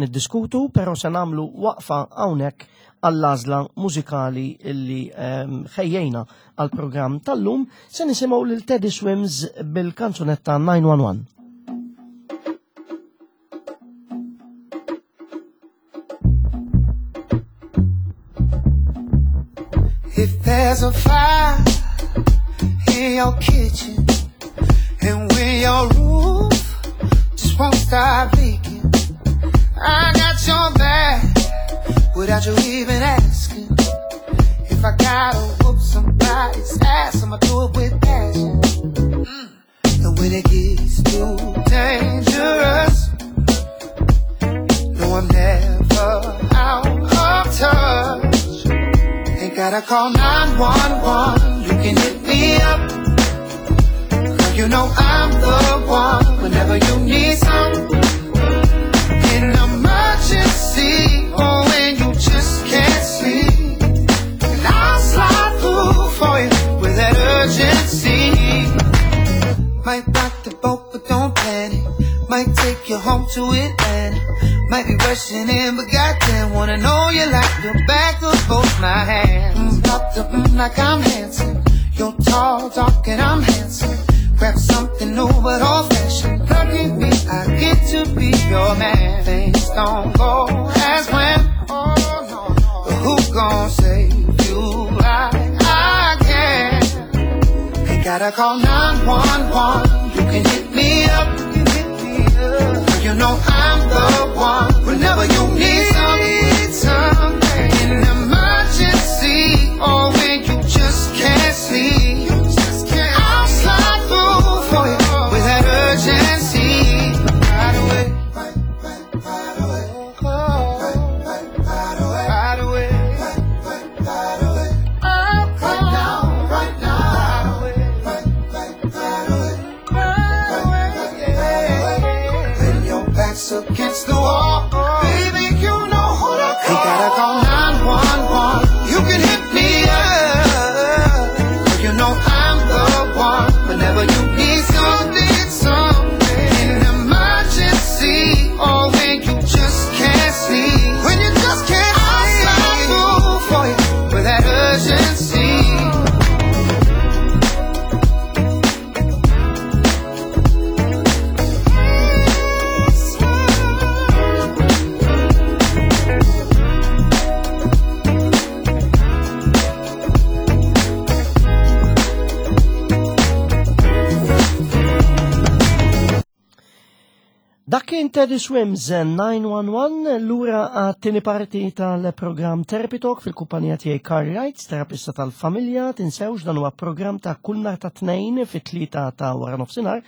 niddiskutu, però se nagħmlu waqfa hawnhekk għall-għażla mużikali illi ħejjejna għall-programm tal-lum se nisimgħu lil Teddy Swims bil-kanzunetta 911. If there's a fire in your kitchen and when your roof just won't stop leaking, I got your back without you even asking. If I gotta whoop somebody's ass, I'ma do it with passion. Mm. And when it gets too down. Gotta call 911, you can hit me up. Girl, you know I'm the one whenever you need some. An emergency, or when you just can't sleep. And I'll slide through for you with that urgency. Might rock the boat, but don't panic. Might take you home to Atlanta. Might be rushing in, but goddamn, wanna know you like the back of both my hands. Pop the like I'm handsome. You're tall, dark, and I'm handsome. Grab something new but old fashioned. Lucky me, I get to be your man. Things don't go as planned. Oh no, no. But who gon' save you like I can? Ain't gotta call 911. You can hit me up. You know I'm the one. Whenever you need something, an emergency, or when you just can't sleep, I'll slide through for you with that urgency. Right away, right, right, right away, right, right, right away, right away, right, right, right away. Right now, right now, right away, right, right, right away, right away, yeah. When your back's against the wall, baby, you know who to call. You gotta call 911. You can hit me up. You know I'm the one. Whenever you need something, something, an emergency, or when you just can't sleep, when you just can't sleep, I'll slide through for you with that urgency. Dak kien Teddy Swims 911 lura għat-tieni parti tal-programm Therapy Talk fil-kumpanija tiegħi Carl Wright, terapista tal-familja, tinsewx dan huwa programm ta' kull nhar ta' tnejn fit-tlieta ta' wara nofsinhar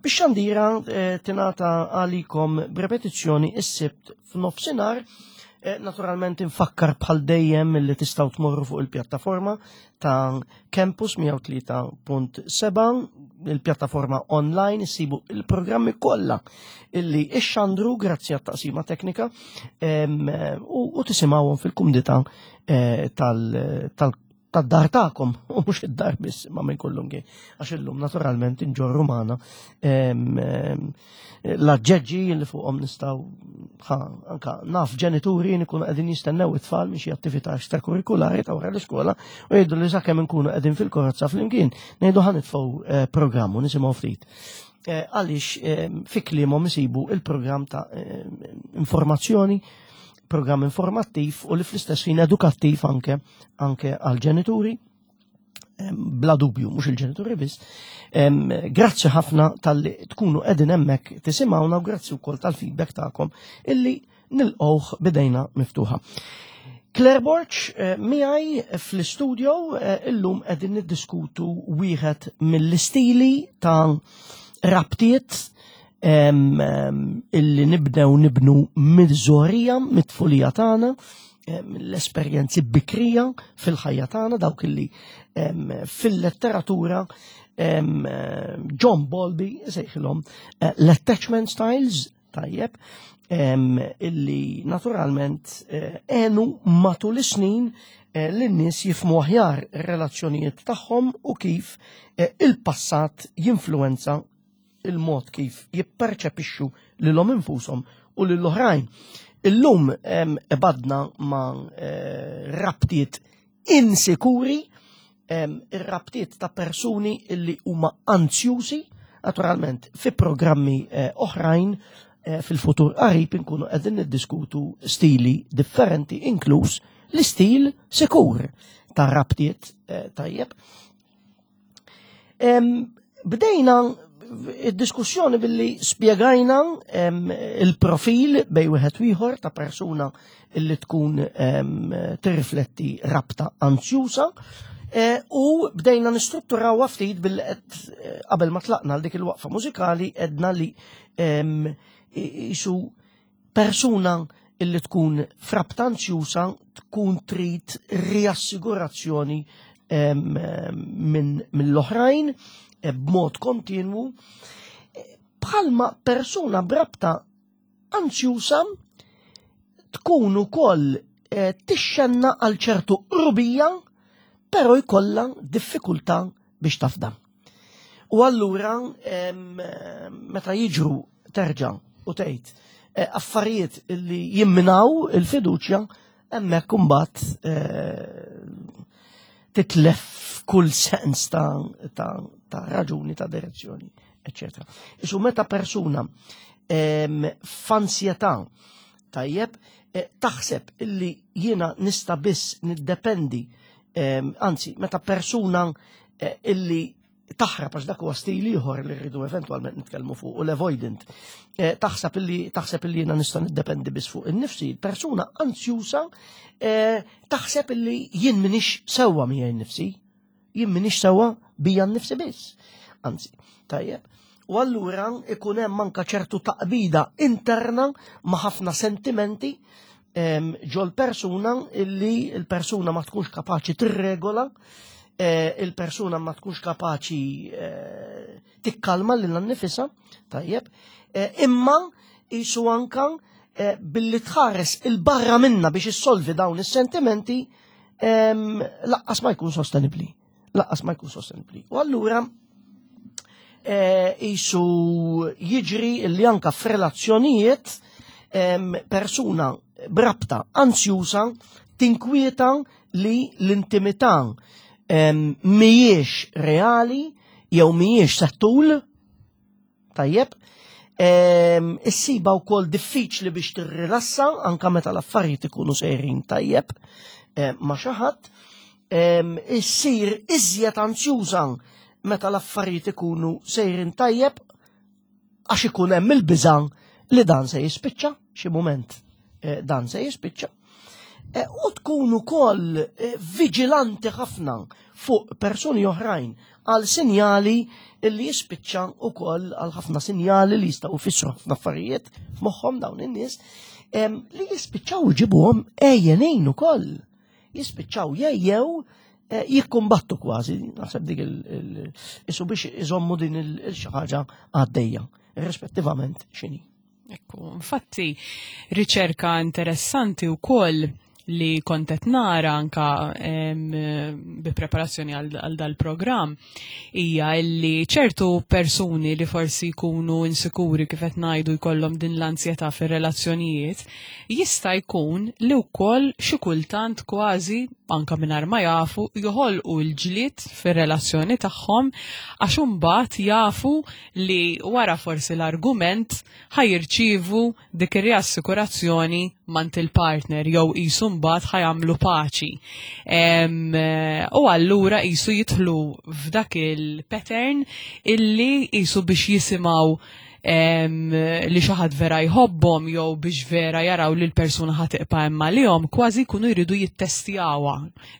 biex xandira eh, tingħata għalikom b'repetizzjoni is-sibt f'nofsinhar. Eh, naturalment infakkar bħal dejjem li tistgħu tmorru fuq il-pjattaforma ta' Campus 103.7, il-pjattaforma online issibu il-programmi kollha illi ixxandru grazzi għat-taqsima teknika u tisimgħuhom fil-kumdità eh, tal tad-dar tagħkom u mhux id-dar biss ma minn kullum kien. Għax illum naturalment inġorru magħna l-aġġeġġi li fuqhom nistgħu anka naf ġenituri nkunu qegħdin jistennew it-tfal minn xi attività extrakurrikulari ta' wara l-iskola u jgħidu li sakemm inkunu qegħdin fil-karozza flimkien ngħidu ħa nitfgħu eh, programm u nisimgħu ftit. Eh, għaliex eh, fi kliemhom isibu il-programm ta' informazzjoni programm informattiv u li fl-istess ħin edukattiv anke anke għal-ġenituri bla dubju, mhux il-ġenituri biss. Grazzi ħafna tal-li tkunu qegħdin hemmhekk tisimgħuna u grazzi wkoll tal-feedback tagħkom illi nilqgħuh bidejna miftuħa. Claire Borch eh, miegħi fl-istudio eh, illum qegħdin niddiskutu wieħed mill-istili ta' rabtiet illi nibdew nibnu mill-żorija, mit-tfulija tagħna, l-esperjenzi bikrija fil-ħajja tagħna dawk illi fil-letteratura John Bowlby sejħilhom eh, l-attachment styles tajjeb illi naturalment eh, għenu matul is-snin eh, l-nies jifmu aħjar ir-relazzjonijiet tagħhom u kif il-passat jinfluenza il-mod kif jipperċepixxu lilhom infushom u lill-oħrajn. Illum ebadna ma' eh, rabtiet insikuri, ir-rabtiet ta' persuni illi huma anzjużi, naturalment fi programmi eh, oħrajn eh, fil-futur qarib inkunu qegħdin niddiskutu stili differenti inkluż l-istil sikur ta' rabtiet tajjeb. Bdejna id-diskussjoni billi spjegajna il-profil bej wieħed ieħor ta' persuna illi tkun tirrifletti rabta anzjusa e, u bdejna nistrutturaw ftit billi eh, qabel ma tlaqna għal dik il-waqfa mużikali edna li jisu persuna illi tkun frabta anzjusa tkun trid riassigurazzjoni minn mill-oħrajn eh, b'mod kontinwu bħalma persuna brabta anzjusa tkun ukoll eh, tixxenna għal ċertu qrubija, però jkollha diffikultà biex tafda. U allura meta jiġru terġa' u tgħid eh, affarijiet li jimminaw il-fiduċja hemmhekk imbagħad eh, titlef kull sens ta', ta, ta raġuni ta' direzzjoni, eccetera. Isu meta persuna f'ansjetà tajjeb eh, taħseb illi jiena nista' biss niddependi anzi meta persuna eh, illi taħrab għax dak huwa stil ieħor li rridu eventwalment nitkellmu fuq u l-avoidant. Eh, taħseb illi taħseb illi jiena nista' niddependi biss fuq innifsi, persuna anzjusa taħseb illi jien minix sewwa miegħi nnifsi, jien minix sewwa bija nnifsi biss. Anzi, tajjeb. U allura ikun hemm anka ċertu taqbida interna ma' ħafna sentimenti ġol persuna illi l-persuna ma tkunx kapaċi tirregola, eh, il-persuna ma tkunx kapaċi eh, tikkalma lil nifisa, tajjeb, eh, imma jisu anka billi tħares il-barra minna biex issolvi dawn is-sentimenti laqqas ma jkun sostenibli. Laqqas ma jkun sostenibli. U allura jisu jiġri li anka f'relazzjonijiet persuna brabta anzjusa tinkwieta li l-intimità mhijiex reali jew mhijiex settul Tajjeb. Issiba wkoll diffiċli biex tirrilassa anka meta l-affarijiet ikunu sejrin tajjeb ma' xi ħadd. Issir iżjed anzjuża meta l-affarijiet ikunu sejrin tajjeb għax ikun hemm il-biża' li dan se jispiċċa xi mument eh, dan se jispiċċa. Eh, u tkun ukoll eh, viġilanti ħafna fuq persuni oħrajn għal sinjali li jispiċċa ukoll għal ħafna sinjali li jistgħu jfissru ħafna affarijiet f'moħħhom dawn in-nies li jispiċċaw iġibuhom ejjenin ukoll. Jispiċċaw jejjew eh, jikkumbattu kważi, naħseb dik il-isu biex iżommu din il-xi ħaġa għaddejja, rispettivament x'inhi. Ekku, infatti, riċerka interessanti u koll li kontet nara anka bi preparazzjoni għal dal-programm hija li ċertu persuni li forsi jkunu insikuri kif qed ngħidu jkollhom din l-ansjetà fir-relazzjonijiet jista' jkun li wkoll xi kultant kważi anka mingħajr ma jafu joħolqu l-ġlied fir-relazzjoni tagħhom għax imbagħad jafu li wara forsi l-argument ħa jirċievu dik ir-riassikurazzjoni mant il-partner jew qisu mbagħad ħa jagħmlu paċi. U allura qisu jidħlu f'dak il-pattern illi qisu biex jisimgħu li xi ħadd vera jħobbhom jew biex vera jaraw li l-persuna ħa tibqa' hemm għalihom, kważi jkunu jridu jittestjawha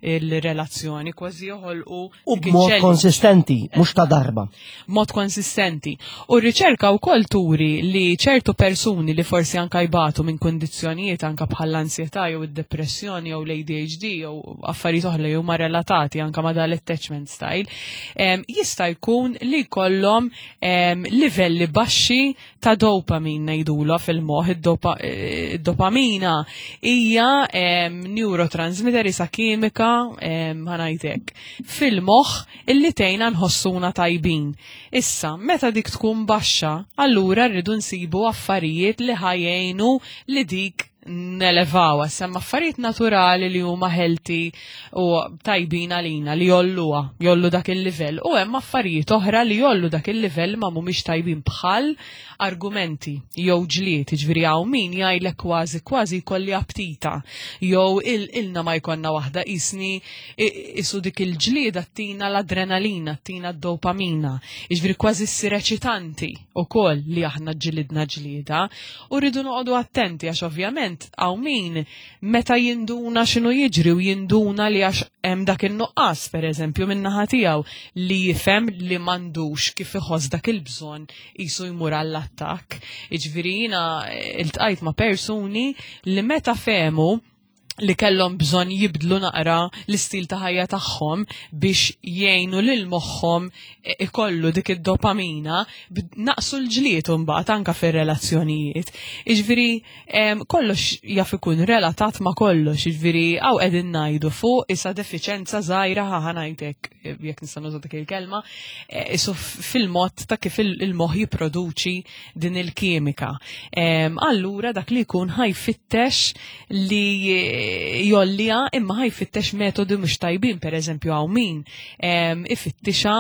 il-relazzjoni, kważi joħolqu U b'mod konsistenti, mhux ta' darba. Mod konsistenti. U r-riċerka wkoll turi li ċertu persuni li forsi anka jbatu minn kundizzjonijiet anka bħall-ansjetà jew id-depressjoni jew l-ADHD jew affarijiet oħra li huma relatati anka ma' dal-attachment style, jista' jkun li jkollhom livelli baxxi ta' dopamine ngħidulha fil-moħħ, id-dopamina hija neurotransmitter isa kimika ħanajtek fil-moħħ illi tgħinna nħossuna tajbin. Issa, meta dik tkun baxxa, allura rridu nsibu affarijiet li ħajjejnu li dik nelevawa, semma affarijiet naturali li huma healthy u tajbin għalina li jolluha, jollu dak il-livell. U hemm affarijiet oħra li jollu dak il-livell ma mhumiex tajbin bħal argumenti jew ġlied, jiġifieri hawn min jgħidlek kważi kważi jkolli aptita jew ilna ma jkollna waħda qisni isu dik il-ġlieda tina l-adrenalina, tina d-dopamina, jiġifieri kważi ssir eċitanti ukoll li aħna ġilidna ġlieda u rridu noqogħdu attenti għax ovvjament Ovvjament hawn min meta jinduna x'inhu jiġri u jinduna li għax hemm dak in-nuqqas pereżempju min-naħa tiegħu li jifhem li m'għandux kif iħoss dak il-bżonn qisu jmur għall-attakk. Jiġifieri jiena iltqajt ma' persuni li meta fehmu li kellhom bżonn jibdlu naqra l-istil ta' ħajja tagħhom biex jgħinu lil moħħhom ikollu dik id-dopamina, naqsu l-ġlied imbagħad anke fir-relazzjonijiet. Jiġifieri kollox jaf ikun relatat ma' kollox, jiġifieri hawn qegħdin ngħidu fuq isa defiċenza żgħira ħa ngħidlek jekk nista' nuża dik il-kelma, eh, isu fil-mod ta' kif il-moħħ jipproduċi din il-kimika. Allura dak li jkun ħajfittex li jollija imma ħajfittex metodi mhux tajbin, pereżempju hawn min ifittixa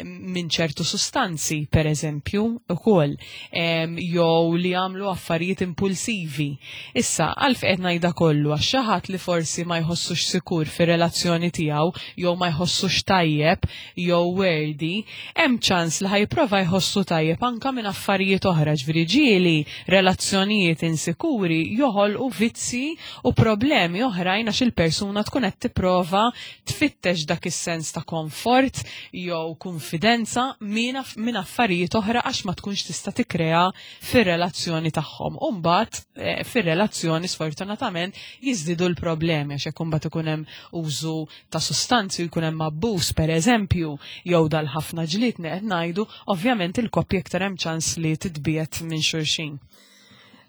minn ċertu sustanzi, pereżempju, ukoll, jew li jagħmlu affarijiet impulsivi. Issa, għalf qed ngħidha kollu għax xi ħadd li forsi ma jħossux sikur fir-relazzjoni tiegħu jew ma jħossux tajjeb jew worthy, hemm ċans li ħajprova jħossu tajjeb anka minn affarijiet oħra, ġifieri ġieli relazzjonijiet insikuri joħolqu vizzi u problemi oħrajn għax il-persuna tkun qed tipprova tfittex dak is-sens ta' komfort jew kunfidenza minn affarijiet oħra għax ma tkunx tista' tikkrea fir-relazzjoni tagħhom. U mbagħad eh, fir-relazzjoni sfortunatament jiżdiedu l-problemi għax jekk imbagħad ikun hemm użu ta' sustanzi u jkun hemm abbuż pereżempju jew dal-ħafna ġlied li qed ngħidu, ovvjament il-koppja iktar hemm ċans li titbiegħed minn xulxin.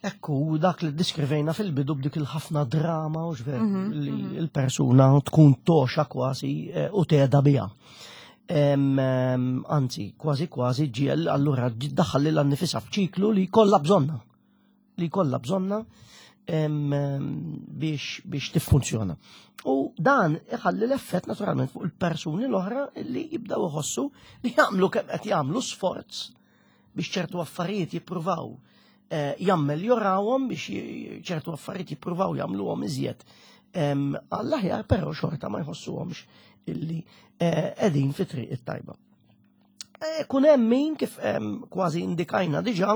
Ekku, dak li diskrivejna fil-bidu b'dik il-ħafna drama u xver mhm, li mhm. il-persuna tkun toxa kważi eh, u teda biha. Anzi, kważi kważi ġiel allura daħal lil nifisha f'ċiklu li kollha bżonna. Li kollha bżonna biex biex tiffunzjona. U dan iħalli l-effett naturalment fuq il-persuni l-oħra li jibdaw iħossu li jagħmlu kemm qed jagħmlu sforz biex ċertu affarijiet jippruvaw eh, jammeljorawhom biex ċertu affarijiet jippruvaw jagħmluhom iżjed għall-aħjar però xorta ma jħossuhomx illi eh, qegħdin fi triq it-tajba. Eh, kun hemm min kif kważi indikajna diġà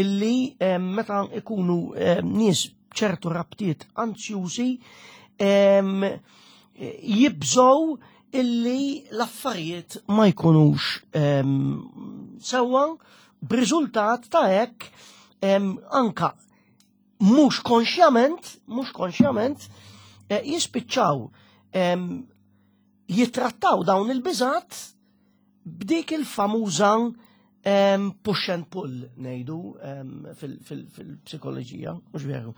illi meta ikunu nies ċertu rabtiet anzjużi jibżgħu illi l-affarijiet ma jkunux sewwa b'riżultat ta' hekk anka mhux konxjament, mhux konxjament eh, jispiċċaw jitrattaw dawn il-biżat b'dik il-famuża push and pull ngħidu fil-psikoloġija, mhux veru.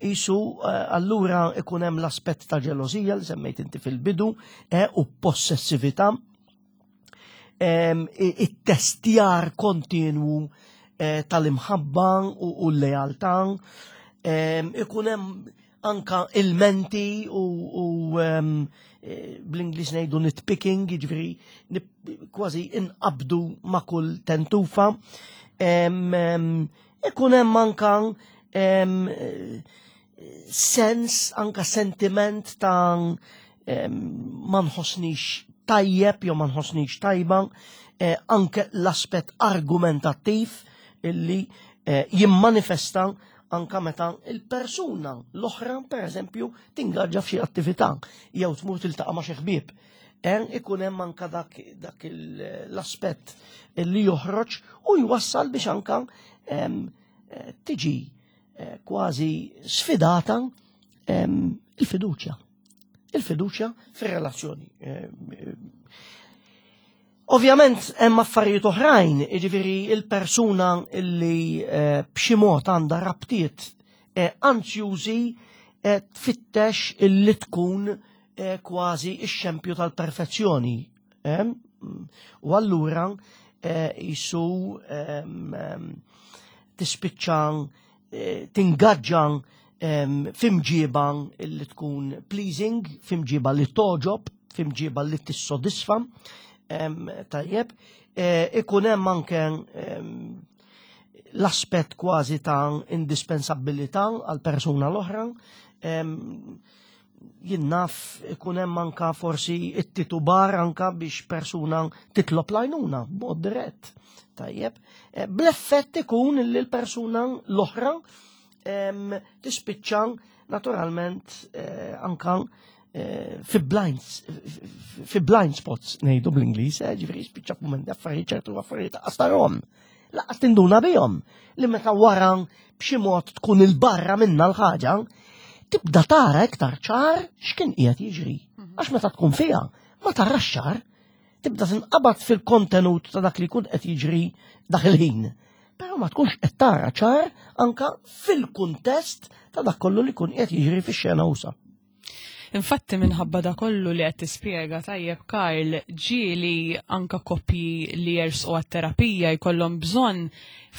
Isu eh, allura ikun hemm l-aspett ta' ġelosija li semmejt inti fil-bidu eh, u possessività it-testjar kontinwu eh, tal-imħabba u l-lealtà, ikun hemm anka il-menti u eh, bl-Ingliż ngħidu nitpicking, jiġifieri kważi inqabdu ma' kull tentufa. Ikun hemm anka sens, anka sentiment ta' ma nħossnix tajjeb jew ma nħossnix tajba, eh, anke l-aspett argumentattiv illi eh, jimmanifesta anka meta il-persuna l-oħra, per eżempju, tingaġġa f'xi attività jew tmur tiltaqa' ma' xi ħbieb. Eh, ikun hemm anka dak, dak l-aspett li joħroġ u jwassal biex anka eh, tiġi eh, kważi sfidata il-fiduċja. Il-fiduċja fir-relazzjoni. Ovvjament hemm affarijiet oħrajn, jiġifieri il-persuna li eh, b'xi mod għandha rabtiet eh, anzjużi eh, tfittex illi tkun kważi x-xempju tal-perfezzjoni. U allura jisu tispiċċa tingaġġa f'imġiba li tkun pleasing, f'imġiba li toġob, f'imġiba li tissodisfa. Tajjeb, e, ikun hemm anke l-aspett kważi ta' indispensabilità għal persuna l-oħra. Jien naf ikun hemm anka forsi it-titubar anka biex persuna titlob lajnuna b'mod dirett. Tajjeb, eh, bl-effett ikun li l-persuna l-oħra tispiċċa naturalment eh, anka eh, fi blind fi blind spots ngħidu bl-Ingliż, eh, ġifieri spiċċa f'mument affarijiet ċertu affarijiet qastarhom. Laqas tinduna bihom li meta wara b'xi mod tkun il-barra minna l-ħaġa, tibda tara iktar ċar x'kien qiegħed jiġri. Għax meta tkun fiha, ma tarax ċar, tibda tinqabad fil-kontenut ta' dak li jkun qed jiġri dak il-ħin. Però ma tkunx qed tara ċar anka fil-kuntest ta' dak kollu li jkun qed jiġri fix-xena usa. Infatti minħabba da kollu li qed tispjega tajjeb Karl, ġieli anka koppji li jersqu għat-terapija jkollhom bżonn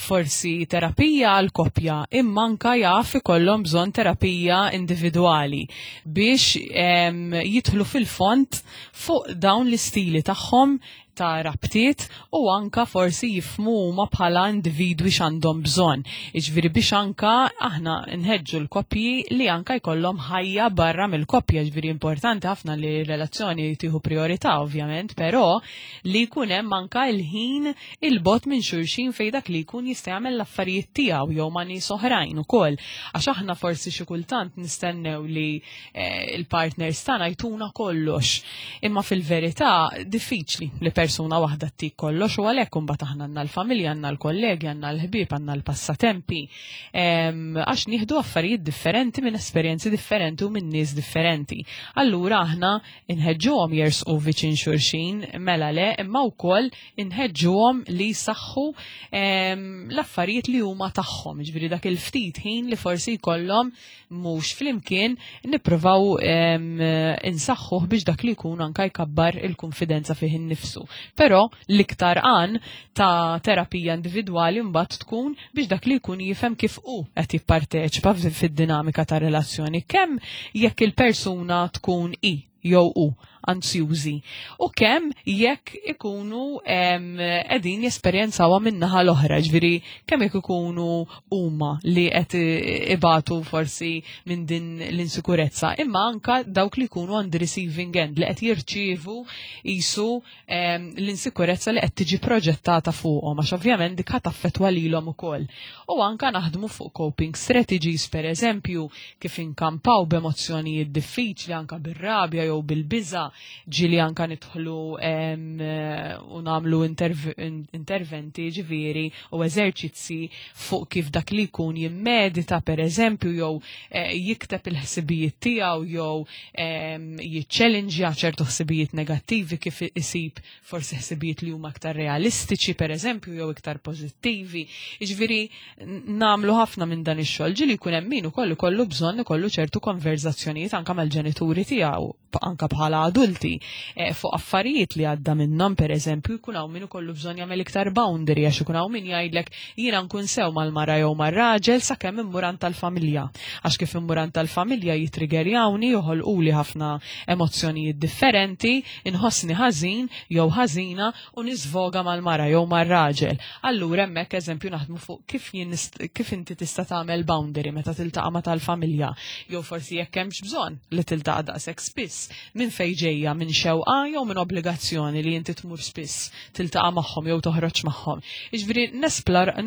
forsi terapija għal koppja imma anka jaf ikollhom bżonn terapija individwali biex jidħlu fil-fond fuq dawn l-istili tagħhom ta' rabtiet u anka forsi jifhmu huma bħala individwi x'għandhom bżonn. Jiġifieri biex anka aħna nħeġġu l-koppji li anka jkollhom ħajja barra mill-koppja, jiġifieri importanti ħafna li r-relazzjoni tieħu priorità ovvjament, però li jkun hemm anka l-ħin il-bogħod minn xulxin fejn dak li jkun jista' jagħmel l-affarijiet tiegħu jew ma' nies oħrajn ukoll. Għax aħna forsi xi kultant nistennew li Eh, il-partners tagħna jtuna kollox. Imma fil-verità diffiċli li persuna waħda ttik kollox u għalhekk imbagħad aħna għandna l-familja, għandna l-kollegi, għandna l-ħbieb, għandna l-passatempi. Għax nieħdu affarijiet differenti minn esperjenzi differenti u minn nies differenti. Allura aħna inħeġġuhom jersqu viċin xulxin mela le, imma wkoll inħeġġuhom li jsaħħu l-affarijiet li huma tagħhom, ġifieri dak il-ftit ħin li forsi jkollhom mhux flimkien nippruvaw insaħħuh biex dak li jkun anka jkabbar il-kunfidenza fih innifsu. Però l-iktar għan ta' terapija individwali mbagħad tkun biex dak li jkun jifhem kif hu qed jipparteċipa fid-dinamika ta' relazzjoni kemm jekk il-persuna tkun i jew hu anzjużi u kemm jekk ikunu qegħdin jesperjenzawha min-naħa l-oħra, ġifieri kemm jekk ikunu huma li qed ibatu forsi minn din l-insikurezza, imma anka dawk li jkunu on the receiving end li qed jirċievu qisu l-insikurezza li qed tiġi proġettata fuqhom għax ovvjament dik ħa taffettwa lilhom ukoll. U anka naħdmu fuq coping strategies pereżempju kif inkampaw b'emozzjonijiet diffiċli anka bir-rabja jew bil-biża' ġieli anka nidħlu u nagħmlu interventi ġifieri u eżerċizzi fuq kif dak li jkun jimmedita pereżempju jew eh, jikteb il-ħsibijiet tiegħu jew jiċċellinġja ċertu ħsibijiet negattivi kif isib forsi ħsibijiet li huma aktar realistiċi pereżempju jew iktar pożittivi. Jiġifieri nagħmlu ħafna minn dan ix-xogħol ġieli jkun hemm min ukoll ikollu bżonn ikollu ċertu konverzazzjonijiet anke mal-ġenituri tiegħu anka bħala adulti eh, fuq affarijiet li għadda minnhom pereżempju jkun hawn min ikollu bżonn jagħmel iktar boundary għax ikun hawn min jgħidlek jiena nkun sew mal-mara jew mar-raġel sakemm immur għand tal-familja. Għax kif immur għand tal-familja jitriggerjawni joħolquli ħafna emozzjonijiet differenti, inħossni ħażin jew ħażina u niżvoga mal-mara jew mar-raġel. Allura hemmhekk eżempju naħdmu fuq kif jien kif inti tista' tagħmel boundary meta tiltaqa' ma' tal-familja jew forsi jekk hemmx bżonn li tiltaqa' daqshekk spiss minn fejn ġejja minn xewqa jew minn obbligazzjoni li inti tmur spiss tiltaqa' magħhom jew toħroġ magħhom. Jiġifieri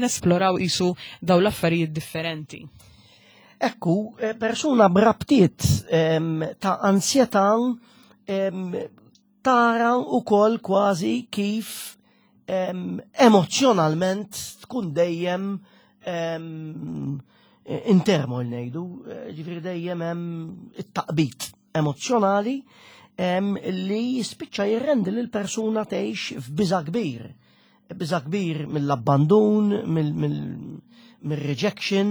nesploraw qisu dawn l-affarijiet differenti. Ekku, eh, persuna b'rabtiet ehm, ta' ansjetà ehm, tara wkoll kważi kif emozjonalment tkun dejjem intermol ngħidu, eh, ġifieri dejjem hemm it-taqbit emozjonali li jispiċċa jirrendi lil persuna tgħix f'biża' kbir. Biża' kbir mill-abbandun, mill-rejection,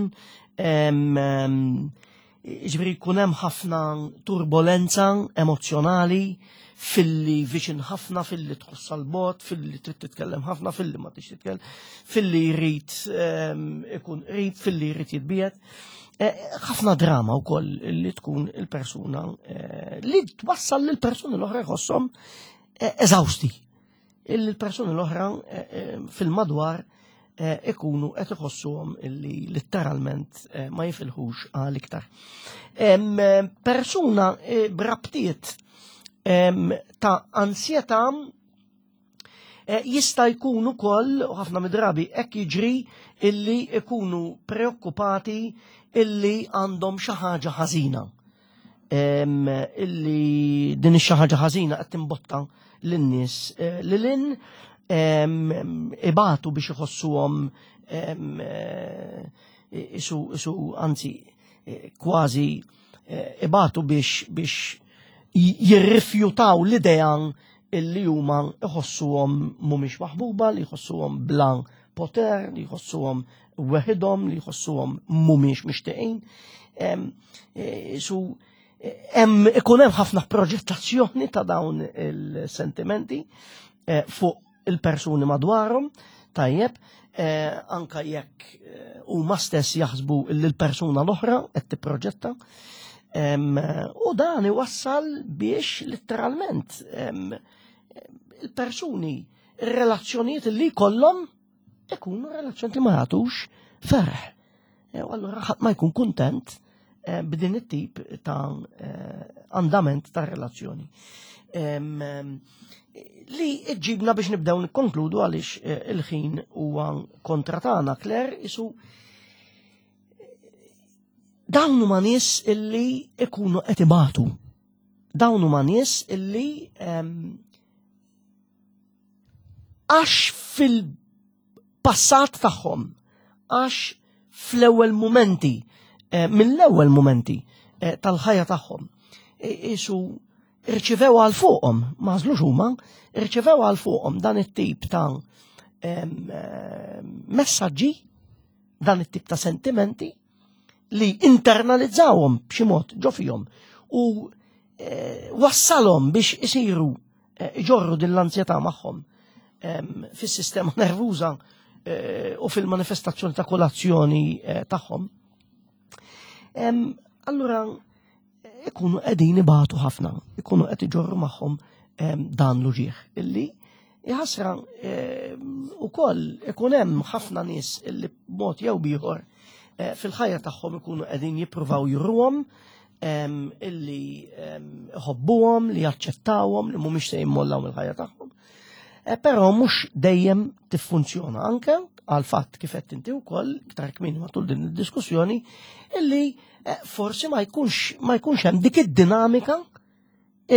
Jiġifieri jkun hemm ħafna turbolenza emozzjonali filli viċin ħafna, filli tħoss għal-bot, filli trid titkellem ħafna, filli ma tix titkellem, filli jrid ehm, ikun qrib, filli jrid jitbiet. Eh, ħafna drama wkoll li tkun il-persuna eh, li twassal lil persuni l-oħra jħosshom eh, eżawsti. Il-persuni l-oħra fil-madwar eh, ikunu qed iħossuhom illi litteralment eh, ma jifilħux għal iktar. Persuna eh, brabtiet ta' ansjetà Eh, jista' jkun ukoll, u ħafna mid-drabi hekk jiġri, illi ikunu preokkupati illi għandhom xi ħaġa ħażina. Illi din ix-xi ħaġa ħażina qed timbotta lin-nies eh, lil in ibatu biex iħossuhom eh, isu isu anzi kważi ibatu biex biex jirrifjutaw l-idea illi huma iħossuhom mhumiex maħbuba, li jħossuhom bla poter, li jħossuhom weħidhom, li jħossuhom mhumiex mixtieqin. E, su hemm ikun hemm ħafna proġettazzjoni ta' dawn il-sentimenti e, fuq il-persuni madwarhom, tajjeb, e, anka jekk huma stess jaħsbu li l-persuna l-oħra qed tipproġetta. U dan iwassal biex letteralment il-persuni, ir-relazzjonijiet li jkollhom ikunu relazzjoni li ma jagħtux ferħ. E, u allura ħadd ma jkun kuntent e, b'din it-tip ta' e, andament ta' relazzjoni. Li ġibna biex nibdew nikkonkludu għaliex il-ħin huwa kontra tagħna, Claire, isu dawn huma nies illi ikunu qed ibatu. Dawn huma nies illi għax fil-passat tagħhom, għax fl-ewwel mumenti, eh, mill-ewwel mumenti eh, tal-ħajja tagħhom, isu irċivew għal fuqhom, ma għażlux huma, irċivew għal fuqhom dan it-tip ta' eh, messaġġi, dan it-tip ta' sentimenti li internalizzawhom b'xi mod ġo fihom u wassalhom biex isiru eh, iġorru din l-anzjetà magħhom fis-sistema nervuża eh, u fil-manifestazzjoni ta' kolazzjoni eh, tagħhom. Allura ikunu qegħdin ibatu ħafna, ikunu qed iġorru magħhom dan l-uġieħ illi jħasra ukoll ikun hemm ħafna nies illi b'mod jew bieħor fil-ħajja tagħhom ikunu qegħdin jippruvaw juruhom illi ħobbuhom, li jaċċettawhom, li mhumiex se jimmollaw mill-ħajja tagħhom. Eh, però mhux dejjem tiffunzjona anke għal fatt kif qed inti wkoll iktar kmieni matul din id-diskussjoni illi eh, forsi ma jkunx ma jkunx hemm dik id-dinamika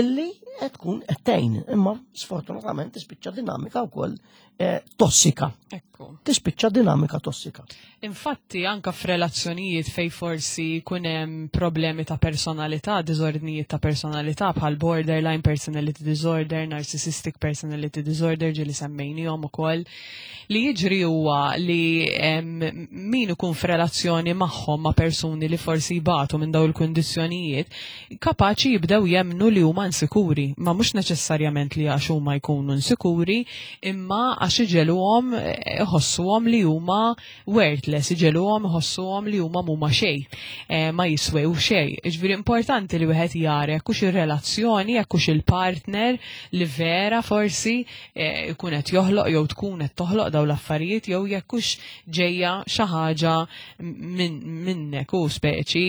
illi qed tkun qed tgħin, imma sfortunatament tispiċċa dinamika wkoll eh, tossika. Ekku. Tispiċċa dinamika tossika. Infatti anka f'relazzjonijiet fej forsi jkun hemm problemi ta' personalità, diżordnijiet ta' personalità bħal borderline personality disorder, narcissistic personality disorder ġieli semmejnihom ukoll, li jiġri huwa li min ikun f'relazzjoni magħhom ma' persuni li forsi jbatu minn dawn il-kundizzjonijiet, kapaċi jibdew jemmnu li huma insikuri, ma mhux neċessarjament li għax huma jkunu insikuri, imma għax iġegħluhom eh, iħossuhom li huma worthless, iġegħluhom iħossuhom li huma mhuma xejn, eh, ma jiswew xejn. Jiġifieri importanti li wieħed jara jekk hux ir-relazzjoni, jekk hux il-partner li vera forsi eh, jkun qed joħloq jew tkun qed toħloq dawn l-affarijiet jew jekk hux ġejja xi ħaġa minnek u speċi,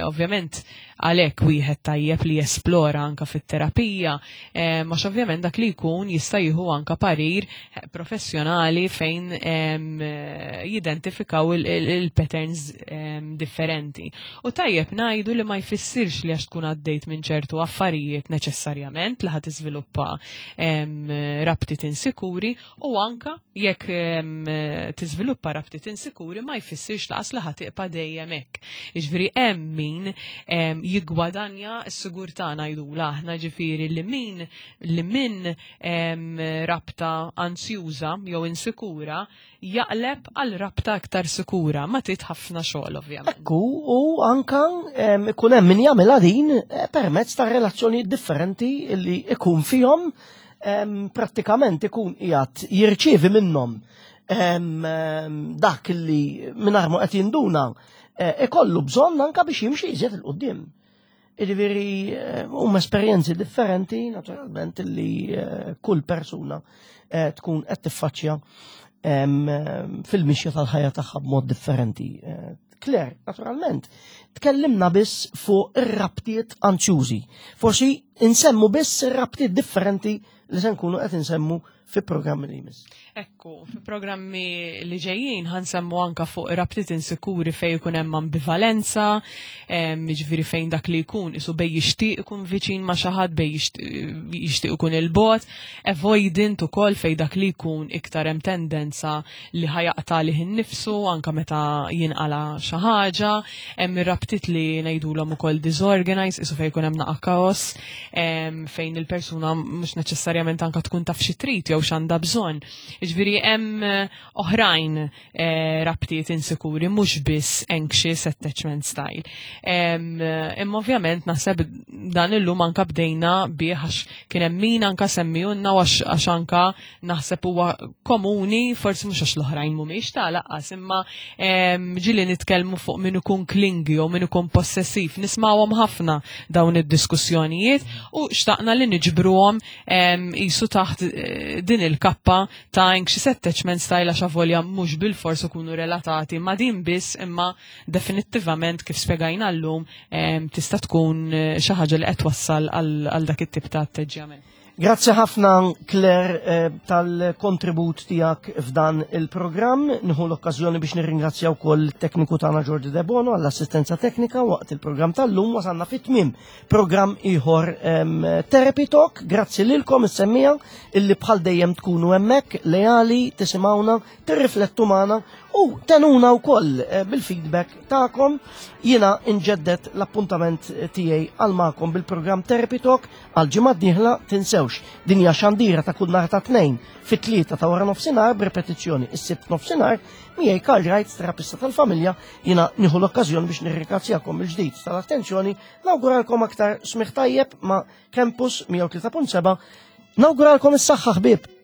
ovvjament għalhekk wieħed tajjeb li jesplora anka fit-terapija, għax ovvjament dak li jkun jista' jieħu anka parir eh, professjonali fejn jidentifikaw il-patterns differenti. U tajjeb ngħidu li ma jfissirx li għax tkun għaddejt minn ċertu affarijiet neċessarjament li ħad tiżviluppa rabtiet insikuri U anka jekk tiżviluppa rabtiet insikuri ma jfissirx laqas li ħa tiqpa' dejjem hekk. Jiġifieri hemm min jiggwadanja s-sigurtà ngħidulha aħna ġifieri li min li minn rabta anzjuża jew insikura jaqleb għal rabta aktar sikura ma trid ħafna xogħol ovvjament. Ekku, u anka ikun hemm min jagħmilha din eh, permezz ta' relazzjonijiet differenti li ikun fihom prattikament ikun qiegħed jirċievi minnhom dak li mingħajr ma qed jinduna eh, ikollu bżonn anka biex jimxi iżjed il qudiem Jiġifieri eh, huma esperjenzi differenti naturalment li eh, kull persuna tkun qed tiffaċċja fil-mixja tal-ħajja tagħha b'mod differenti. Claire, naturalment, tkellimna biss fuq ir-rabtiet anzjużi. Forsi insemmu biss ir-rabtiet differenti li se nkunu qed insemmu fi programmi li jmiss. Ekku, fi programmi li ġejjin ħansemmu anka fuq rabtiet insikuri fejn ikun hemm ambivalenza, jiġifieri fejn dak li jkun isu bej jixtieq ikun viċin ma' xi ħadd, bej jixtieq ikun il-bogħod, avoidant ukoll fejn dak li jkun iktar hemm tendenza li ħajaqta lih innifsu anka meta jinqala xi ħaġa, hemm ir-rabtiet li ngħidulhom ukoll disorganized, isu fejn ikun hemm naqa' kaos, fejn il-persuna mhux neċessarjament anka tkun taf xi trid jew x'għandha bżonn. Jiġifieri hemm eh, oħrajn eh, rabtiet insikuri mhux biss anxious attachment style. Imma ovvjament naħseb dan illum anka bdejna bih għax kien hemm min anka semmijunna għax anka naħseb huwa komuni, forsi mhux għax l-oħrajn mhumiex ta' laqqas, imma ġieli nitkellmu fuq min ikun klingi jew min ikun possessiv, nismawhom ħafna dawn id-diskussjonijiet u xtaqna li niġbruhom qisu taħt eh, din il-kappa ta' anxious attachment style għax avolja mhux bil-fors ikunu relatati ma' din biss imma definittivament kif spjegajna llum tista' tkun eh, xi ħaġa li qed twassal għal dak it-tip ta' atteġġjament. Grazzi ħafna Claire eh, tal-kontribut tiegħek f'dan il-programm. Nieħu l-okkażjoni biex nirringrazzja wkoll it-tekniku tagħna Jordi Debono għall-assistenza teknika waqt il-programm tal-lum wasalna fit-tmiem programm ieħor Therapy Talk. Grazzi lilkom is-semmija illi bħal dejjem tkunu hemmhekk leali tisimgħuna, tirriflettu magħna u tenuna wkoll eh, bil-feedback tagħkom. Jiena inġeddet l-appuntament tiegħi għal magħkom bil-programm Therapy Talk għal ġimgħa d-dieħla tinsewx din hija xandira ta' kull nhar ta' tnejn fit-tlieta ta' wara nofsinhar b'repetizzjoni is-sibt nofsinhar miegħi Karl Wright, terapista tal-familja, jiena nieħu l-okkażjoni biex nirringrazzjakom il-ġdid tal-attenzjoni, nawguralkom aktar smigħ tajjeb ma' Campus 103.7. Nawguralkom is-saħħa ħbieb.